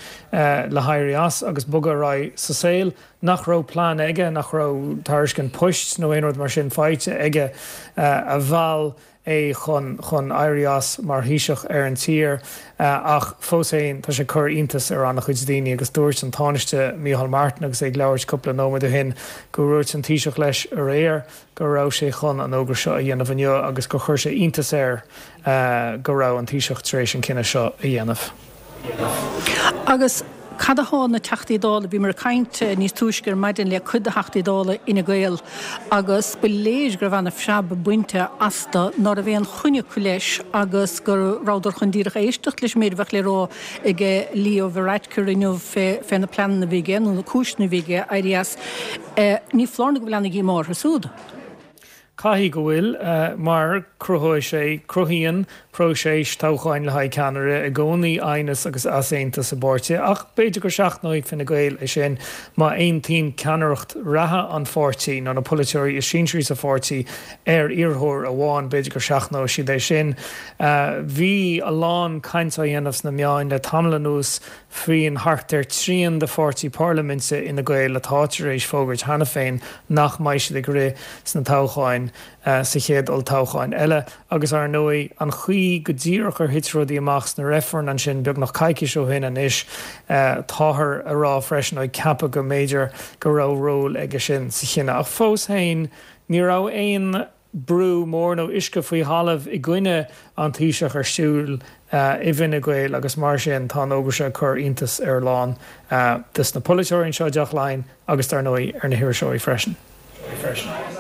le héirí as agus bogadh ar aghaidh sa saol. Nach raibh plean aige, nach raibh tairiscint poist nó aon rud mar sin faighte aige a mheall é chun chun éirí as mar Thaoiseach ar an tír ach fós féin tá sé ag cur iontas ar an-chuid daoine agus dúirt an Tánaiste Micheál Martin agus é ag labhairt cúpla nóiméad ó shin go ndúirt an Taoiseach leis aréir go raibh sé chun an fhógra seo a dhéanamh inniu agus gur chuir sé iontas air go raibh an Taoiseach tar éis an cinneadh seo a dhéanamh. Agus cad atá na Teachtaí Dála, bhíomar ag caint níos túisce ar maidin le cuid de Theachtaí Dála Fhine Gael agus ba léir go raibh ana-phreab bainte astu, ná raibh aon choinne acu leis agus go rabhadar chun díreach éisteacht leis an méid a bheadh le rá ag Leo Varadkar inniu fé na pleananna a bhí aige nó na cúiseanna a bhí aige éirí as. Ní foláir nó go bhfuil ana-dhíomá orthu siúd. Caithfidh go bhfuil, mar cruthóidh sé, cruthaíonn próiseas toghcháin le haghaidh ceannaire i gcónaí aighneas agus easaontas i bpáirtithe, ach b'fhéidir go seachnóidh Fine Gael é sin má aontaíonn ceannaireacht reatha an pháirtí nó na polaiteoirí is sinsearaí sa pháirtí ar iarrthóir amháin, b'fhéidir go seachnóidh siad é sin. Bhí a lán caint á dhéanamh sna meáin le tamall anuas faoin thart ar trian de pháirtí parlaiminte Fhine Gael atá tar éis fógairt cheana féin nach mbeidh siad ag rith sna toghcháin sa chéad olltoghchán eile. Agus ar ndóigh, an chaoi go díreach ar thit rudaí amach sna reifrinn ansin beagnach coicís ó shin anois, táthar a rá freisin, nó ag ceapadh go mb'fhéidir go raibh ról aige sin sa chinneadh. Ach fós féin, ní raibh aon. brú mór nó uisce faoi thalamh i gcoinne an Taoiseach ar siúl i bhFine Gael agus mar sin tá an fhógra seo ag cur iontas ar a lán des na polaiteoirí anseo i dTeach Laighean agus dar ndóigh ar na hiriseoirí freisin.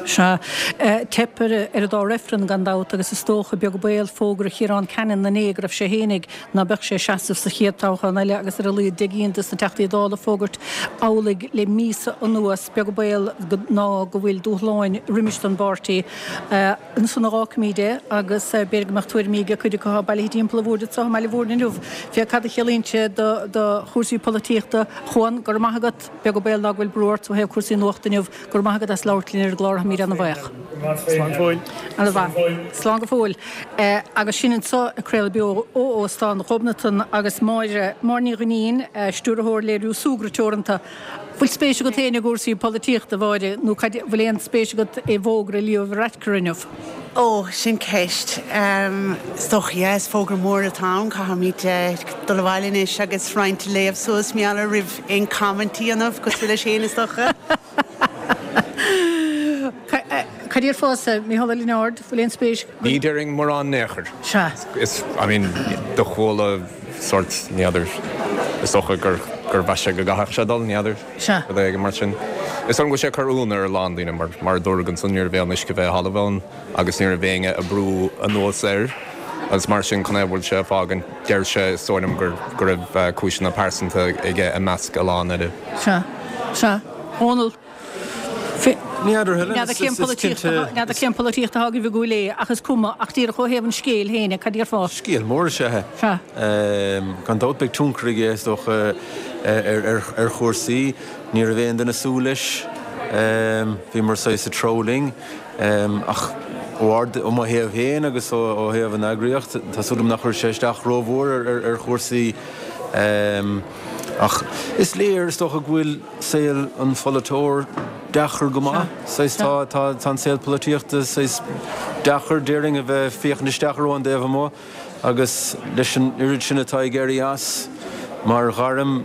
Sea. Teip ar an dá reifreann gan dabht agus is dócha, beag an baol, fógra Chiarán Cannon inné go raibh sé fhéinig ná beadh sé ag seasamh sa chéad toghchán eile agus ar a laghad 10 gcinn des na Teachtaí Dála ag fógairt amhlaidh le míosa anuas. Beag an baol ná go bhfuil dúshláin roimis don bpáirtí. Ansan a dh'fhágfaimíd é agus b'fhéidir go mbeadh tuairimí ag cuid acu atá bailithe timpeall an bhoird anso i mBaile Mhúirne inniu fé cad a chiallaíonn sé do chúrsaí polaitíochta. Chuan, go raibh maith agat. Beag an baol ná go bhfuil brú ort ó thaobh cúrsaí nuachta inniu. Go raibh maith agat as labhairt linn ar an gclár, táimid ana-bhaoch. Slán go fóill. Ana-mhaith. Slán go fóill. Agus sinn anso ag craoladh beo ó Óstán Ghobnatan agus Máire, Máire Ní Dhuinnín, Stiúrthóir Léiriú Súgradh Teoranta. Bhfuil spéis agat féin i gcúrsaí polaitíochta, a Mháire, nó cad, bhfuil aon spéis agat i bhfógra Leo Varadkar inniu? Ó, sin ceist. Is dócha, yeah, is fógra mór atá ann. Caithfimid dul abhaile anois agus roinnt a léamh suas, mar gheall air roimh aon comment a dhéanamh, cosúil leis féin, is dócha. Cad déarfása, Mícheál Ó Lionáird, bhfuil aon spéis? Ní déarfainn mórán in aon chor. Sea. Is, I mean, do chuala. sórt, ní fheadar, is dócha gur, gur mheas sé go gcaithfeadh sé dul, ní fheadar, Sea. rud éigin mar sin. Is dóigh liom go bhfuil sé ag cur ionadh ar a lán daoine mar, mar a dúradh ansan ní raibh aon uisce fé thalamh ann agus ní raibh éinne ag brú anuas air agus mar sin conas a bhfuil sé ag fágaint, deir sé, is dóigh liom gur, go raibh cúiseanna pearsanta aige i measc a lán eile. Sea. Sea. Dónall. Ní fheadar Helen, N'fheadar cén is polaitíocht cinnte. N'fheadar cén polaitíocht atá agaibh i gCúil Aodha, ach is cuma, ach díreach ó thaobh an scéil féin, cad déarfá? Scéal mór is ea é. Sea. Gan dabht beidh tionchar aige, is dócha, ar chúrsaí. Ní raibh aon duine ag súil leis. Bhíomar saghas ag treabhadh linn. Ach ó mo thaobh féin agus ó thaobh an eagraíocht, tá súil agam nach chuirfidh sé isteach rómhór ar chúrsaí. Ach is léir, is dócha, go bhfuil. saol an pholaiteoir deacair go maith. Saghas tá, tá, tá an saol polaitíochta saghas deacair, déarfainn, a bheith ag féachaint isteach air ón dtaobh amuigh agus leis an oiread sin atá ag éirí as mar ghairm,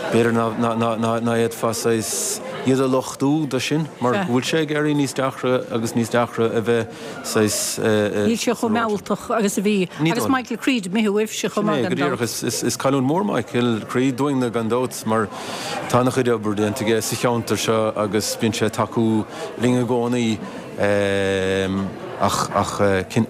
b'fhéidir ná, ná, ná, ná, ná fhéadfá saghas iad a lochtú do sin mar go bhfuil sé ag éirí níos deacra agus níos deacra a bheith saghas. Níl sé chomh mealltach agus a bhí. Agus Michael Creed imithe uaibhse chomh maith gan dabht. Sin é, go díreach. Is cailliúint mhór Michael Creed dúinne gan dabht mar tá ana-chuid obair déanta aige sa cheantar seo agus bíonn sé ag tacú linn i gcónaí. Ach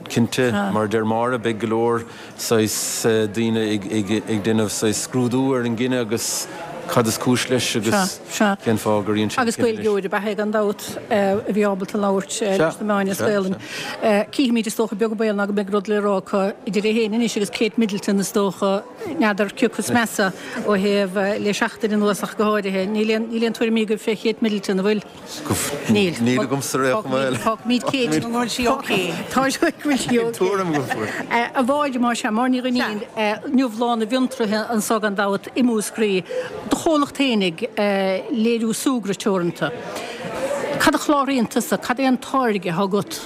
cinnte, mar a deir Máire, beidh go leor saghas daoine ag déanamh saghas scrúdú ar an gcinneadh agus cad is cúis leis agus cén fáth gur dhein sé an Agus cinneadh leis. Gaeilgeoir ab ea é gan dabht a bhí ábalta labhairt leis na meáin as Gaelainn. Cífimid is dócha beag an baol ná go mbeidh rud le rá acu idir é féin anois agus Kate Middleton is dócha, n'fheadar cé acu is measa ó thaobh le seachtain anuas ach go háirithe. Níl aon tuairimí agaibh fé Kate Middleton, an bhfuil? Níl. Níl agamsa ar aon chuma eile. Fágfaimid Kate. Go bhfuil sí ok. Tá sí go bhfuil sí ok. Tuairim agam faoi. A Mháire, más ea, Máire Ní Dhuinnín, inniu Lá na bhFiontraithe anso gan dabht i Múscraí. Do chomhlacht fhéinig, Léiriú Súgradh Teoranta. Cad a chláraíonn tusa? Cad é an táirge atá agat?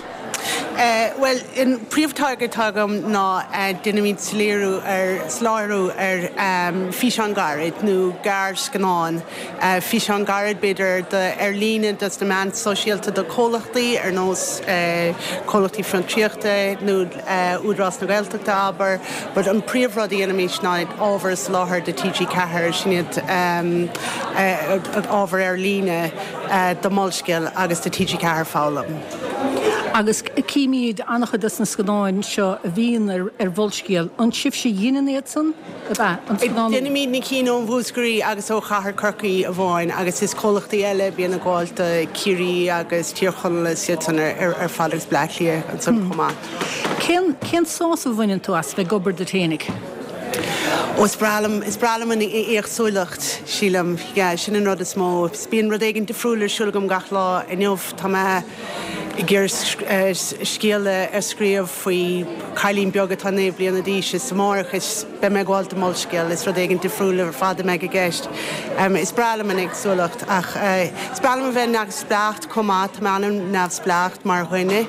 Bhuel, an príomhtáirge atá agam ná déanaimid soiléiriú ar, soláthar ar físeán gairid nó gearrscannán. Físeán gairid, b'fhéidir, do ar líne dos na meáin sóisialta do comhlachtaí ar nós comhlachtaí fiontraíochta nó Údarás na Gaeltachta, abair. But an príomh rud a dhéanaimid ná ábhar a soláthar do TG4, sin iad ábhar ar líne do Molscéal agus do TG4 Foghlaim. Agus címid an-chuid dos na scannáin seo a bhíonn ar Mholscéal, an sibhse a dheineann iad san? Ab ea? An scannánú? Déanaimid na cinn ó Mhúscraí agus ó Chathair Chorcaí amháin agus is comhlachtaí eile a bíonn ag gabháil do Ciarraí agus Tír Chonaill is iad san ar fad agus Bleá Cliath ansan chomh maith. Cén, cén sásamh a bhaineann tú as bheith ag obair duit fhéinig? Ó is breá liom, is breá liom an éagsúlacht, sílim. Yeah, sin an rud is mó. Bíonn rud éigin difriúil ar siúl agam gach lá. Inniu tá mé ag iarraidh scéal a scríobh faoi chailín beag atá 9 bliana d'aois is amárach is beidh mé ag gabháil do Molscéal, is rud éigin difriúil ar fad a mbeidh i gceist. Is breá liom an éagsúlacht ach is breá liom a bheith neamhspleách chomh maith, tá mé an-neamhspleách mar dhuine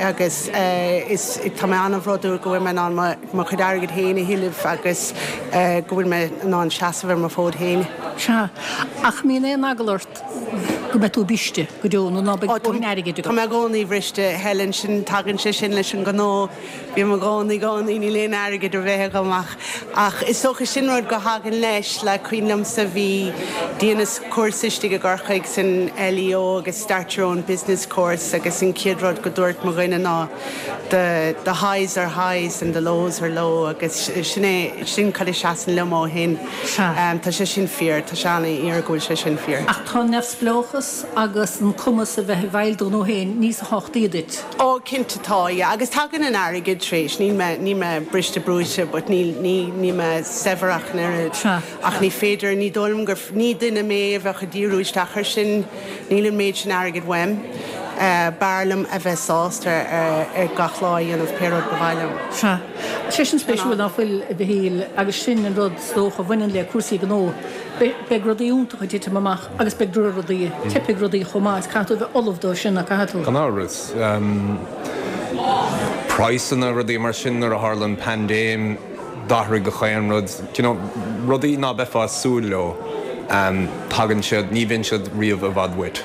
agus is tá mé an-bhródúil go bhfuil mé in ann mo chuid airgid féin a thuilleamh agus go bhfuil mé in ann seasamh ar mo fód féin. Sea, ach mbíonn aon eagla ort go mbeidh tú briste go deo nó ná beidh dóthain airgid agat. Tá mé i gcónaí briste, Helen, sin, tagann sé sin leis an ngnó, bím i gcónaí, gcónaí, níl aon airgead ar bith agam ach, ach is dócha sin rud go thagann leis, like cuimhin liomsa bhí, dheineas cúrsa istigh i gCorcaigh san LEO agus Start Your Own Business course agus an chéad rud go dúirt mo dhuine ná the, the highs are highs and the lows are low agus sin é, sin cad a seasann liom ó shin. Sea. Tá sé sin fíor, tá sé an-fhíor go bhfuil sé sin fíor. Ach tá neamhspleáchas agus an cumas a bheith i bhfeighil do ghnó féin níos tábhachtaí duit. Ó, cinnte tá, yeah. Agus tagann an airgead tar éis, níl mé, níl mé briste brúite but níl, ní, níl mé saibhir ach an oiread. Sea. Ach ní féidir, ní dóigh liom gur, ní duine mé a bheadh ag díriú isteach ar sin, níl an méid sin airgid uaim. B'fhearr liom a bheith sásta ar gach lá a dhéanamh pé rud ba mhaith liom. Sea. Sé sin spéisiúil ná fuil, a Mhichíl, agus sin an rud is dócha a bhaineann le cúrsaí gnó. Beidh rudaí iontacha ag titim amach agus beidh drochrudaí, teipfidh rudaí chomh maith is caithfidh tú a bheith ullamh dó sin, nach gcaithfidh tú? Gan amhras. Praghsanna, rudaí mar sin nuair a tharla an paindéim, d'athraigh gach aon rud. Do you know, rudaí ná beifeá ag súil leo, tagann siad, ní bhíonn siad riamh i bhfad uait.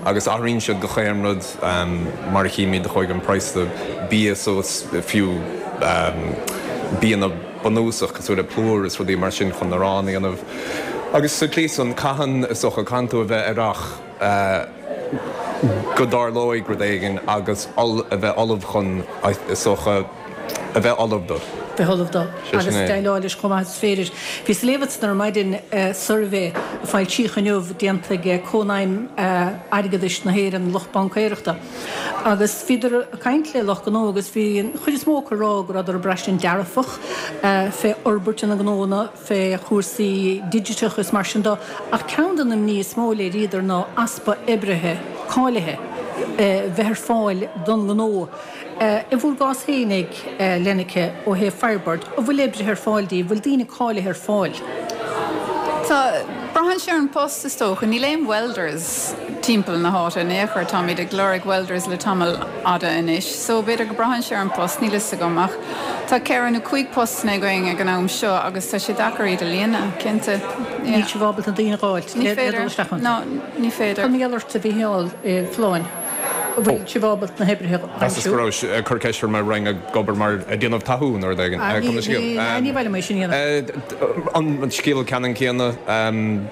Agus athraíonn siad gach aon rud, mar a chímid, chuaigh an praghas do bia suas, fiú bianna. bunúsach cosúil le plúr is rudaí mar sin chun arán a dhéanamh. Agus sa tslí san, caitheann, is dócha, caitheann tú a bheith aireach go dtarlóidh rud éigin agus a bheith ullamh chun, is dócha, a bheith ullamh dó. bheith ullamh dó agus déileáil leis chomh maith is féidir. Bhíos ag léamh ansan ar maidin suirbhé a foilsíodh inniu déanta ag Cónaidhm Airgeadais na hÉireann, lucht baincéireachta, agus bhíodar ag caint le lucht gnó agus bhí an chuid is mó acu ag rá go rabhadar ag braistint dearfach fé fhorbairt ina ngnónna, fé chúrsaí digiteacha is mar sin dó, ach ceann de na imní is mó a léiríodar ná easpa oibrithe cáilithe bheith ar fáil don ngnó. I bhúr gcás féinig, Lenneke, ó thaobh Firebird, an bhfuil oibrithe ar fáil daoibh, bhfuil daoine cáilithe ar fáil? Tá. Braitheann sé ar an post, is dócha. Níl aon welders timpeall na háite in aon chor. Táimid ag lorg welders le tamall fhada anois. So, b'fhéidir go braitheann sé ar an post, níl fhios agam. Ach tá ceithre nó cúig postanna againn ag an am seo agus tá sé deacair iad a líonadh, cinnte. Yeah. Níl sibh ábalta daoine a dh'fháilt le dul isteach iontu? No, ní féidir. Cad mar gheall ort, a Mhícheáil Folláin? An bhfuil sibh ábalta na hoibrithe a Mheasas go aimsiú? raibh ag cur ceist orm an raibh ag obair mar ag déanamh tatú nó rud éigin. Ní, ní mhaith liom é sin a dhéanamh. An scéal ceannann céanna,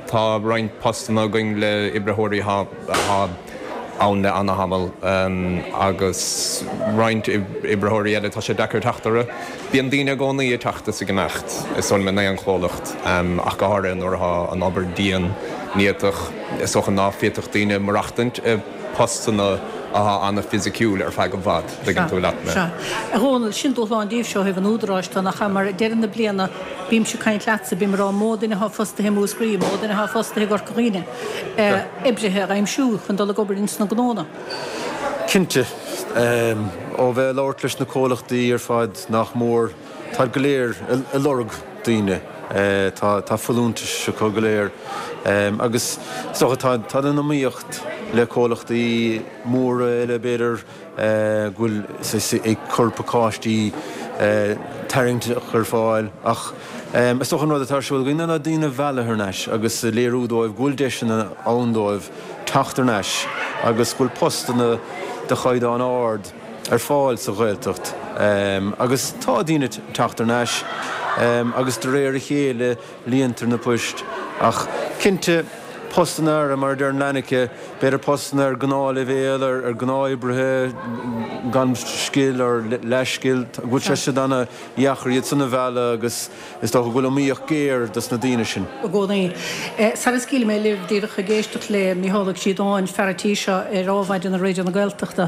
tá roinnt postanna againn le oibritheoirí atá ann le ana-thamall agus roinnt oibritheoirí eile tá sé deacair teacht orthu. Bíonn daoine i gcónaí ag teacht is ag imeacht, is dóigh liom in aon chomhlacht, ach go háirithe nuair atá an obair dian, néatach, is dócha ná féadfadh daoine maireachtaint i postanna atá ana-fhisiciúil ar feadh i bhfad, dtuigeann tú leat mé. Sea. A Dhónaill, sin dúshlán daoibhse ó thaobh an Údaráis de, nach ea? Mar ag deireadh na bliana, bímse ag caint leatsa, bím ag rá, mó duine atá fostaithe i Múscraí, mó duine atá fostaithe i gCorca Dhuibhne, oibrithe a aimsiú chun dul ag obair ins na gnónna. Cinnte. Ó bheith ag labhairt leis na comhlachtaí ar fad, nach mór, táid go léir ag lorg daoine. Tá folúntais acu go léir agus is dócha tá tá an iomaíocht le comhlachtaí móra eile b'fhéidir go bhfuil saghas ag cur pacáistí tarraingteach ar fáil ach is dócha an rud atá ar siúl againn ná daoine a mhealladh thar n-ais agus a léiriú dóibh go bhfuil deiseanna ann dóibh teacht thar n-ais agus go bhfuil postanna de chaighdeán ard ar fáil sa Ghaeltacht agus tá daoine ag teacht thar n-ais agus de réir a chéile líontar na poist ach cinnte postanna ar, mar a deir Lenneke, b'fhéidir postanna ar gnáthleibhéal, ar ghnáth-oibrithe gan scil or leathscil, go bhfuil sé siad ana-dheacair iad san a mhealladh agus Is dócha go bhfuil iomaíocht géar dos na daoine sin. i gcónaí. Sara scaoilfidh mé libh, díreach ag éisteacht le Mícheál Ó Críodáin, fear an tí seo ar Ádhmhaidin ar Raidió na Gaeltachta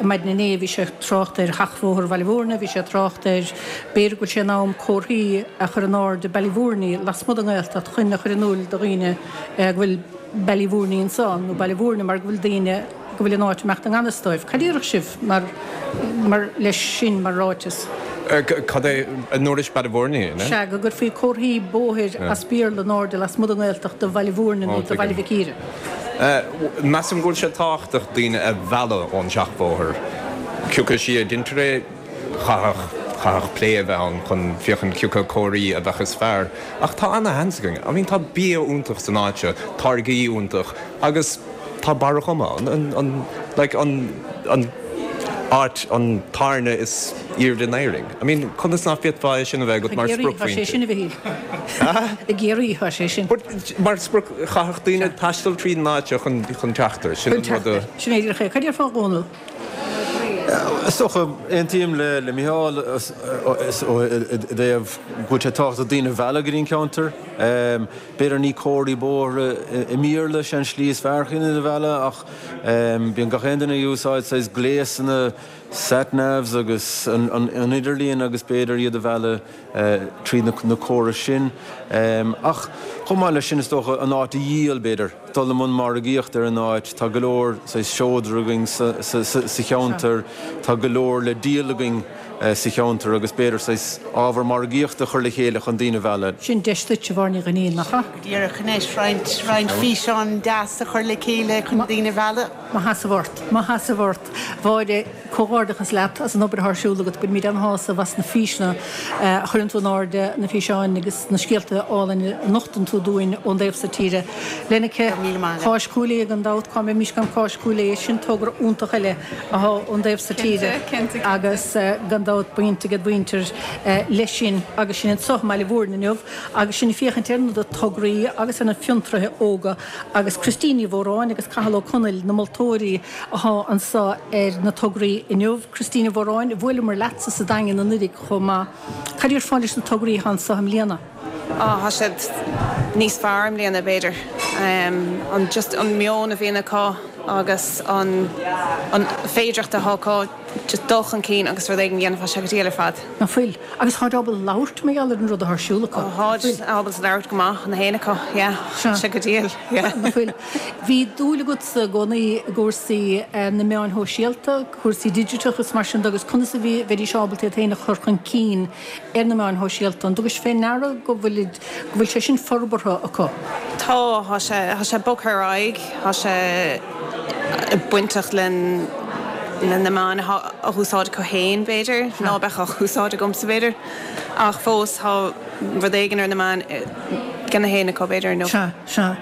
maidin inné, bhí sé ag trácht ar Sheachbhóthar Bhaile Bhúirne, bhí sé ag trácht ar b'fhéidir go bhfuil sé in am comharthaí a chur in airde Ballyvourney lasmuigh den nGaeltacht chun a chur in iúl do dhaoine go bhfuil Ballyvourney anseo nó Baile Bhúirne mar go bhfuil daoine go bhfuil an áit ag imeacht i ngan fhios dóibh. Cad déarfadh sibh mar, mar, leis sin mar ráiteas? Cad é, an ndúrais Ballyvourney, an ea? Sea, go gcuirfí comharthaí bóthair as Béarla in airde lasmuigh den nGaeltacht do Bhaile Bhúirne nó do Bhaile Mhic Íre. Measaim go bhfuil sé tábhachtach daoine a mhealladh ón seachbhóthar. Cioca slí a deintear é, chaithfeadh, chaithfeadh plé a bheith ann chun féachaint cioca comharthaí a bheadh is fearr. Ach tá ana-sheans againn. I mean tá bia iontach san áit seo, táirgí iontach agus tá Barra Choma, an, an, like an, an áit, an tábhairne is aoirde in Éirinn. I mean conas ná féadfá é sin a bheith agat mar I gCiarraí tá sé spriocphointe? sin, a Mhichíl. I gCiarraí tá sé sin. But mar sprioc, chaithfeadh daoine taisteal tríd an áit seo chun, chun teacht air. Sin Chun an teacht rud a. air. Sin é díreach é. Cad déarfá a Dhónaill? Is dócha, aontaím le Micheál i dtaobh go bhfuil sé tábhachtach daoine a mhealladh go dtí an ceantar. B'fhéidir ní comharthaí bóithre i mBéarla is ea an slí is fearr chun iad a mhealladh ach bíonn gach aon duine ag úsáid saghas gléasanna sat navs agus an idirlíon agus b'fhéidir iad a mhealladh tríd na córais sin. Ach chomh maith leis sin is dócha an áit a dhíol b'fhéidir, dul i mbun margaíochta ar an áit. Tá go leor saghas seodra againn sa cheantar, tá go leor le díol againn. sa cheantar agus b'fhéidir saghas ábhar margaíochta a chur le chéile chun daoine a mhealladh. Sin deis duit, a Mháire Ní Dhuinnín, nach ea? Go díreach anois, roinnt, roinnt físeán deas a chur le chéile chun daoine a mhealladh. Mo sheasamh ort, mo sheasamh ort. Mháire, comhghairdeachas leat as an obair atá ar siúl agat. Bainimid an-shásamh as na físeanna a chuireann tú in airde, na físeáin agus na scéalta álainn a nochtann tú dúinn ón dtaobh so tíre. Lenneke, Cáis Chúil Aodha gan dabht, cá mbeimis gan Cáis Chúil Aodha, sin togra iontach eile. Atá ón dtaobh so tíre agus gan dabht. dabht baint ag an mhuintir leis sin agus sinn anseo i mBaile Mhúirne inniu agus sinn ag féachaint ar na tograí agus ar na fiontraithe óga agus Christine Ní Mhóráin agus Cathal Ó Conaill na moltóirí athá anseo ar na tograí inniu. Christine Ní Mhóráin, bhuaileamar leatsa sa Daingean anuiridh chomh maith. Cad a déarfá leis na tograí athá anseo i mbliana? Á, tá siad níos fearr i mbliana, b'fhéidir. An, just an meon a bhíonn acu agus an, an féidireacht atá acu just dul chun cinn agus rud éigin a dhéanamh, tá sé go diail ar fad. Ná fuil? Agus táid ábalta labhairt mar gheall ar an rud atá ar siúl acu. Ó, táid ábalta labhairt go maith, na haon acu, yeah. Tá sé go diail, yeah. Ná fuil? Bhí dúil agatsa i gcónaí i gcúrsaí na meáin shóisialta, cúrsaí digiteach is mar sin de agus conas a bhí, bheidís ábalta iad féin a chur chun cinn ar na meáin shóisialta. An dtugais fé ndeara go bhfuil go bhfuil sé sin forbartha acu? Tá, tá sé, tá sé bogtha ar aghaidh, tá sé bainteach le le na meáin atá á úsáid acu féin, b'fhéidir, ná beadh á úsáid agamsa, b'fhéidir, ach fós tá rud éigin ar na meáin ag na haon acu, b'fhéidir, nó. Sea, sea.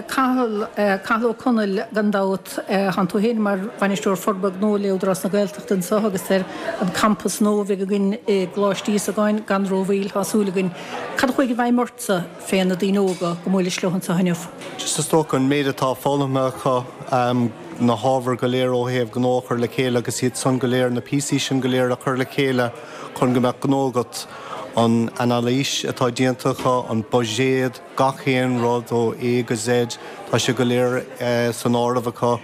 Cathal, Cathal Ó Conaill, gan dabht, tánn tú féin mar Bhainisteoir Forbartha Gnó le Údarás na Gaeltachta anseo agus ar an campas nua a bheidh againn i gColáiste Íosagáin gan rómhoill, tá súil againn. Cad a chuaigh i bhfeidhm ortsa fé na daoine óga go mbuailis leo anseo inniu? Just is dócha an méid atá foghlamtha acu, na hábhair go léir ó thaobh gnó a chur le chéile agus iad san go léir, na píosaí sin go léir a chur le chéile chun go mbeadh gnó agat, an anailís atá déanta acu, an buiséad, gach aon rud ó A go Z, tá sé go léir san áireamh acu.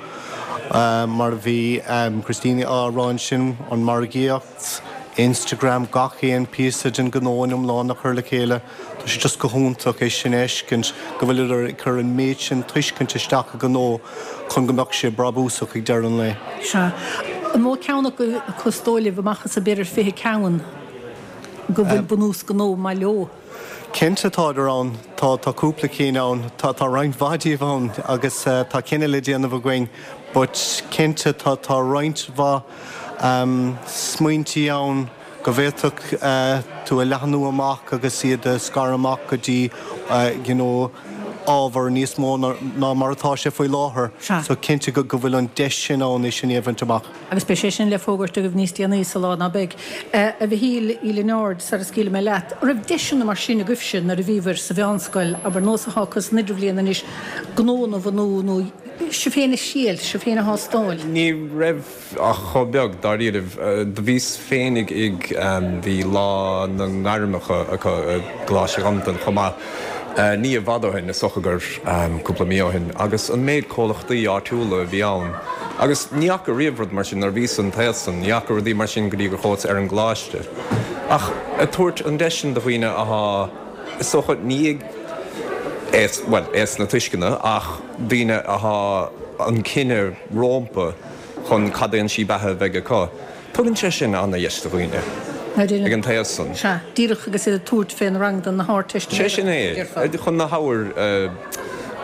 Mar a bhí Christine á rá ansin, an margaíocht, Instagram, gach aon píosa den ghnó in iomlán a chur le chéile, tá sé just go hiontach é sin a fheiscint, go bhfuileadar ag cur an méid sin tuiscint isteach i ngnó chun go mbeadh sé brabúsach ag deireadh an lae. Sea. An mó ceann acu is dóigh libh amach as an b'fhéidir 20 ceann go bhfuil bunús gnó maith leo? Cinnte tádar ann, tá, tá cúpla cinn ann, tá, tá roinnt mhaith díobh ann agus tá cinneadh le déanamh againn but cinnte tá, tá roinnt mhaith smaointí ann go bhféadfadh tú a leathnú amach agus iad a scaradh amach go dtí you know ábhar níos mó ná mar atá sé faoi láthair. So cinnte go, go bhfuil an deis sin ann é sin a bhaint amach. Agus beidh sé sin le fógairt agaibh níos déanaí sa lá, ná beidh? A Mhichíl Uí Lionáird, sara scaoilfidh mé leat, an raibh deiseanna mar sin agaibhse nuair a bhíobhair sa mheánscoil, abair, nós atá acu san idirbhliain anois, gnónna a bhunú nó sibh féin a thriail, sibh féin a thástáil? Ní raibh ach chomh beag, dáiríribh. Do bhíos féinig ag, bhí Lá na nGairmeacha acu i gColáiste Dhamtan chomh maith, ní i bhfad ó shin, is dócha gur cúpla mí ó shin, agus an méid comhlachtaí áitiúla a bhí ann. Agus ní fhaca riamh rud mar sin nuair a bhíos an t-aos san, ní fhaca rudaí mar sin go dtí gur chuas ar an gcoláiste. Ach ag tabhairt an deis sin do dhaoine athá, is dócha, ní ag aos, bhuel, aos na tuisceana, ach daoine athá an cinneadh rómpa chun cad é an slí beatha a bheidh acu. Tugann sé sin ana-dheis do dhaoine ag an t-aos san. Sea, díreach agus iad ag tabhairt fé na ranganna na hArdteistiméireachta. Sé sin é, chun na hábhair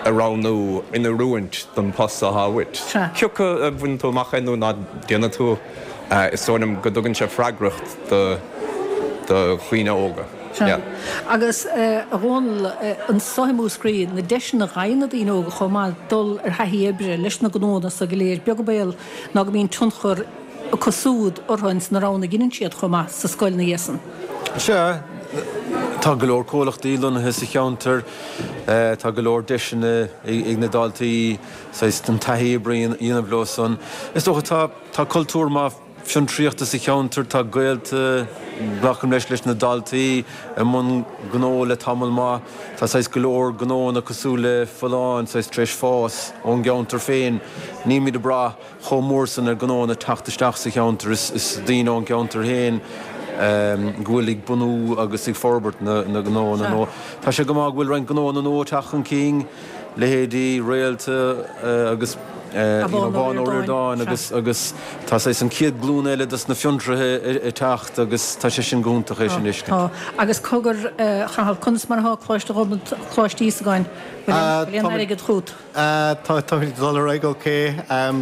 a roghnú in oiriúint don post atá uait. Sea. Cioca a bhaineann tú amach é nó ná déanfaidh tú, is dóigh liom go dtugann sé freagracht do dhaoine óga. Sea. Agus, a Dhónaill, anso i Múscraí, na deiseanna a fhaigheann na daoine óga chomh maith dul ar thaithí oibre leis na gnónna so go léir, beag an baol ná go mbíonn tionchar acu súd orthu ins na roghanna a dheineann siad chomh maith sa scoil ina dhiaidh san. Sea, tá go leor comhlachtaí lonnaithe sa cheantar, tá go leor deiseanna ag na daltaí saghas an taithí oibre a dhéanamh leo san. Is dócha tá tá cultúr maith fiontraíochta sa cheantar, tá gaolta, glacaim leis, leis na daltaí i mbun gnó le tamall maith, tá saghas go leor gnóanna cosúil le Folláin saghas tar éis fás ón gceantar féin, nílimid ag brath chomh mór san ar gnóanna teacht isteach sa cheantar, is daoine ón gceantar féin go bhfuil ag bunú agus ag forbairt na ngnóanna nua. Tá sé go maith go bhfuil roinnt gnóanna nua ag teacht chun cinn, leithéidí Réalta agus Abán Ó Ríordáin agus agus tá saghas an chéad glúin eile dos na fiontraithe ag teacht agus tá sé sin go hiontach é sin a fheiscint. Tá. Agus cogar, a Chathail, conas mar atá Coláiste Coláiste Íosagáin? Bhfuil aon airgead chugat? Tá, táimid ag dul ar aghaidh ok.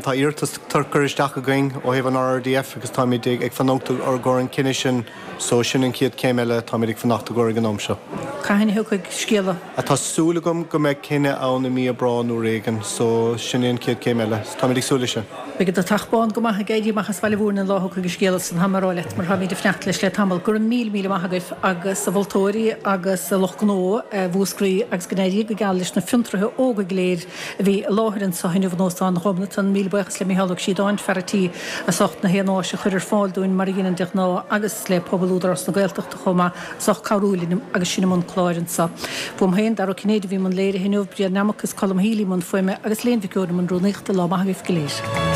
Tá iarratas curtha isteach againn ó thaobh an RRDF agus táimid ag fanacht i gcomhair an cinneadh sin so sin an chéad chéim eile táimid ag fanacht i gcomhair ag an am seo. Cathain a thiocfaidh scéala? Tá súil agam go mbeidh cinneadh ann i mí Aibreán uair éigin so sin é an chéad chéim. chéim eile. So táimid ag súil leis sin. Beidh an deatach bán go maith ag éirí amach as Bhaile Mhúirne an lá a thiocfaidh an scéala san, tá mé ag rá leat, mar táimid ag fanacht leis le tamall. Go raibh míle míle maith agaibh agus a mholtóirí agus a lucht gnó Mhúscraí agus go n-éirí go geal leis na fiontraithe óga go léir a bhí i láthair anso inniu in Óstán Ghobnatan. Míle buíochas le Micheál Ó Críodáin, fear a' tí, as ucht na haon áis a chur ar fáil dúinn mar a dheineann de ghnáth agus le pobal Údarás na Gaeltachta chomh maith as ucht cabhrú linn agus sinn i mbun cláir anso. Uaim féin, Dara Ó Cinnéide a bhí i mbun léirithe inniu, Brian Nammock is Colm Healy i mbun fuaime agus Léan Mhic Eoin i mbun rúnaíochta. Lá maith agaibh go léir.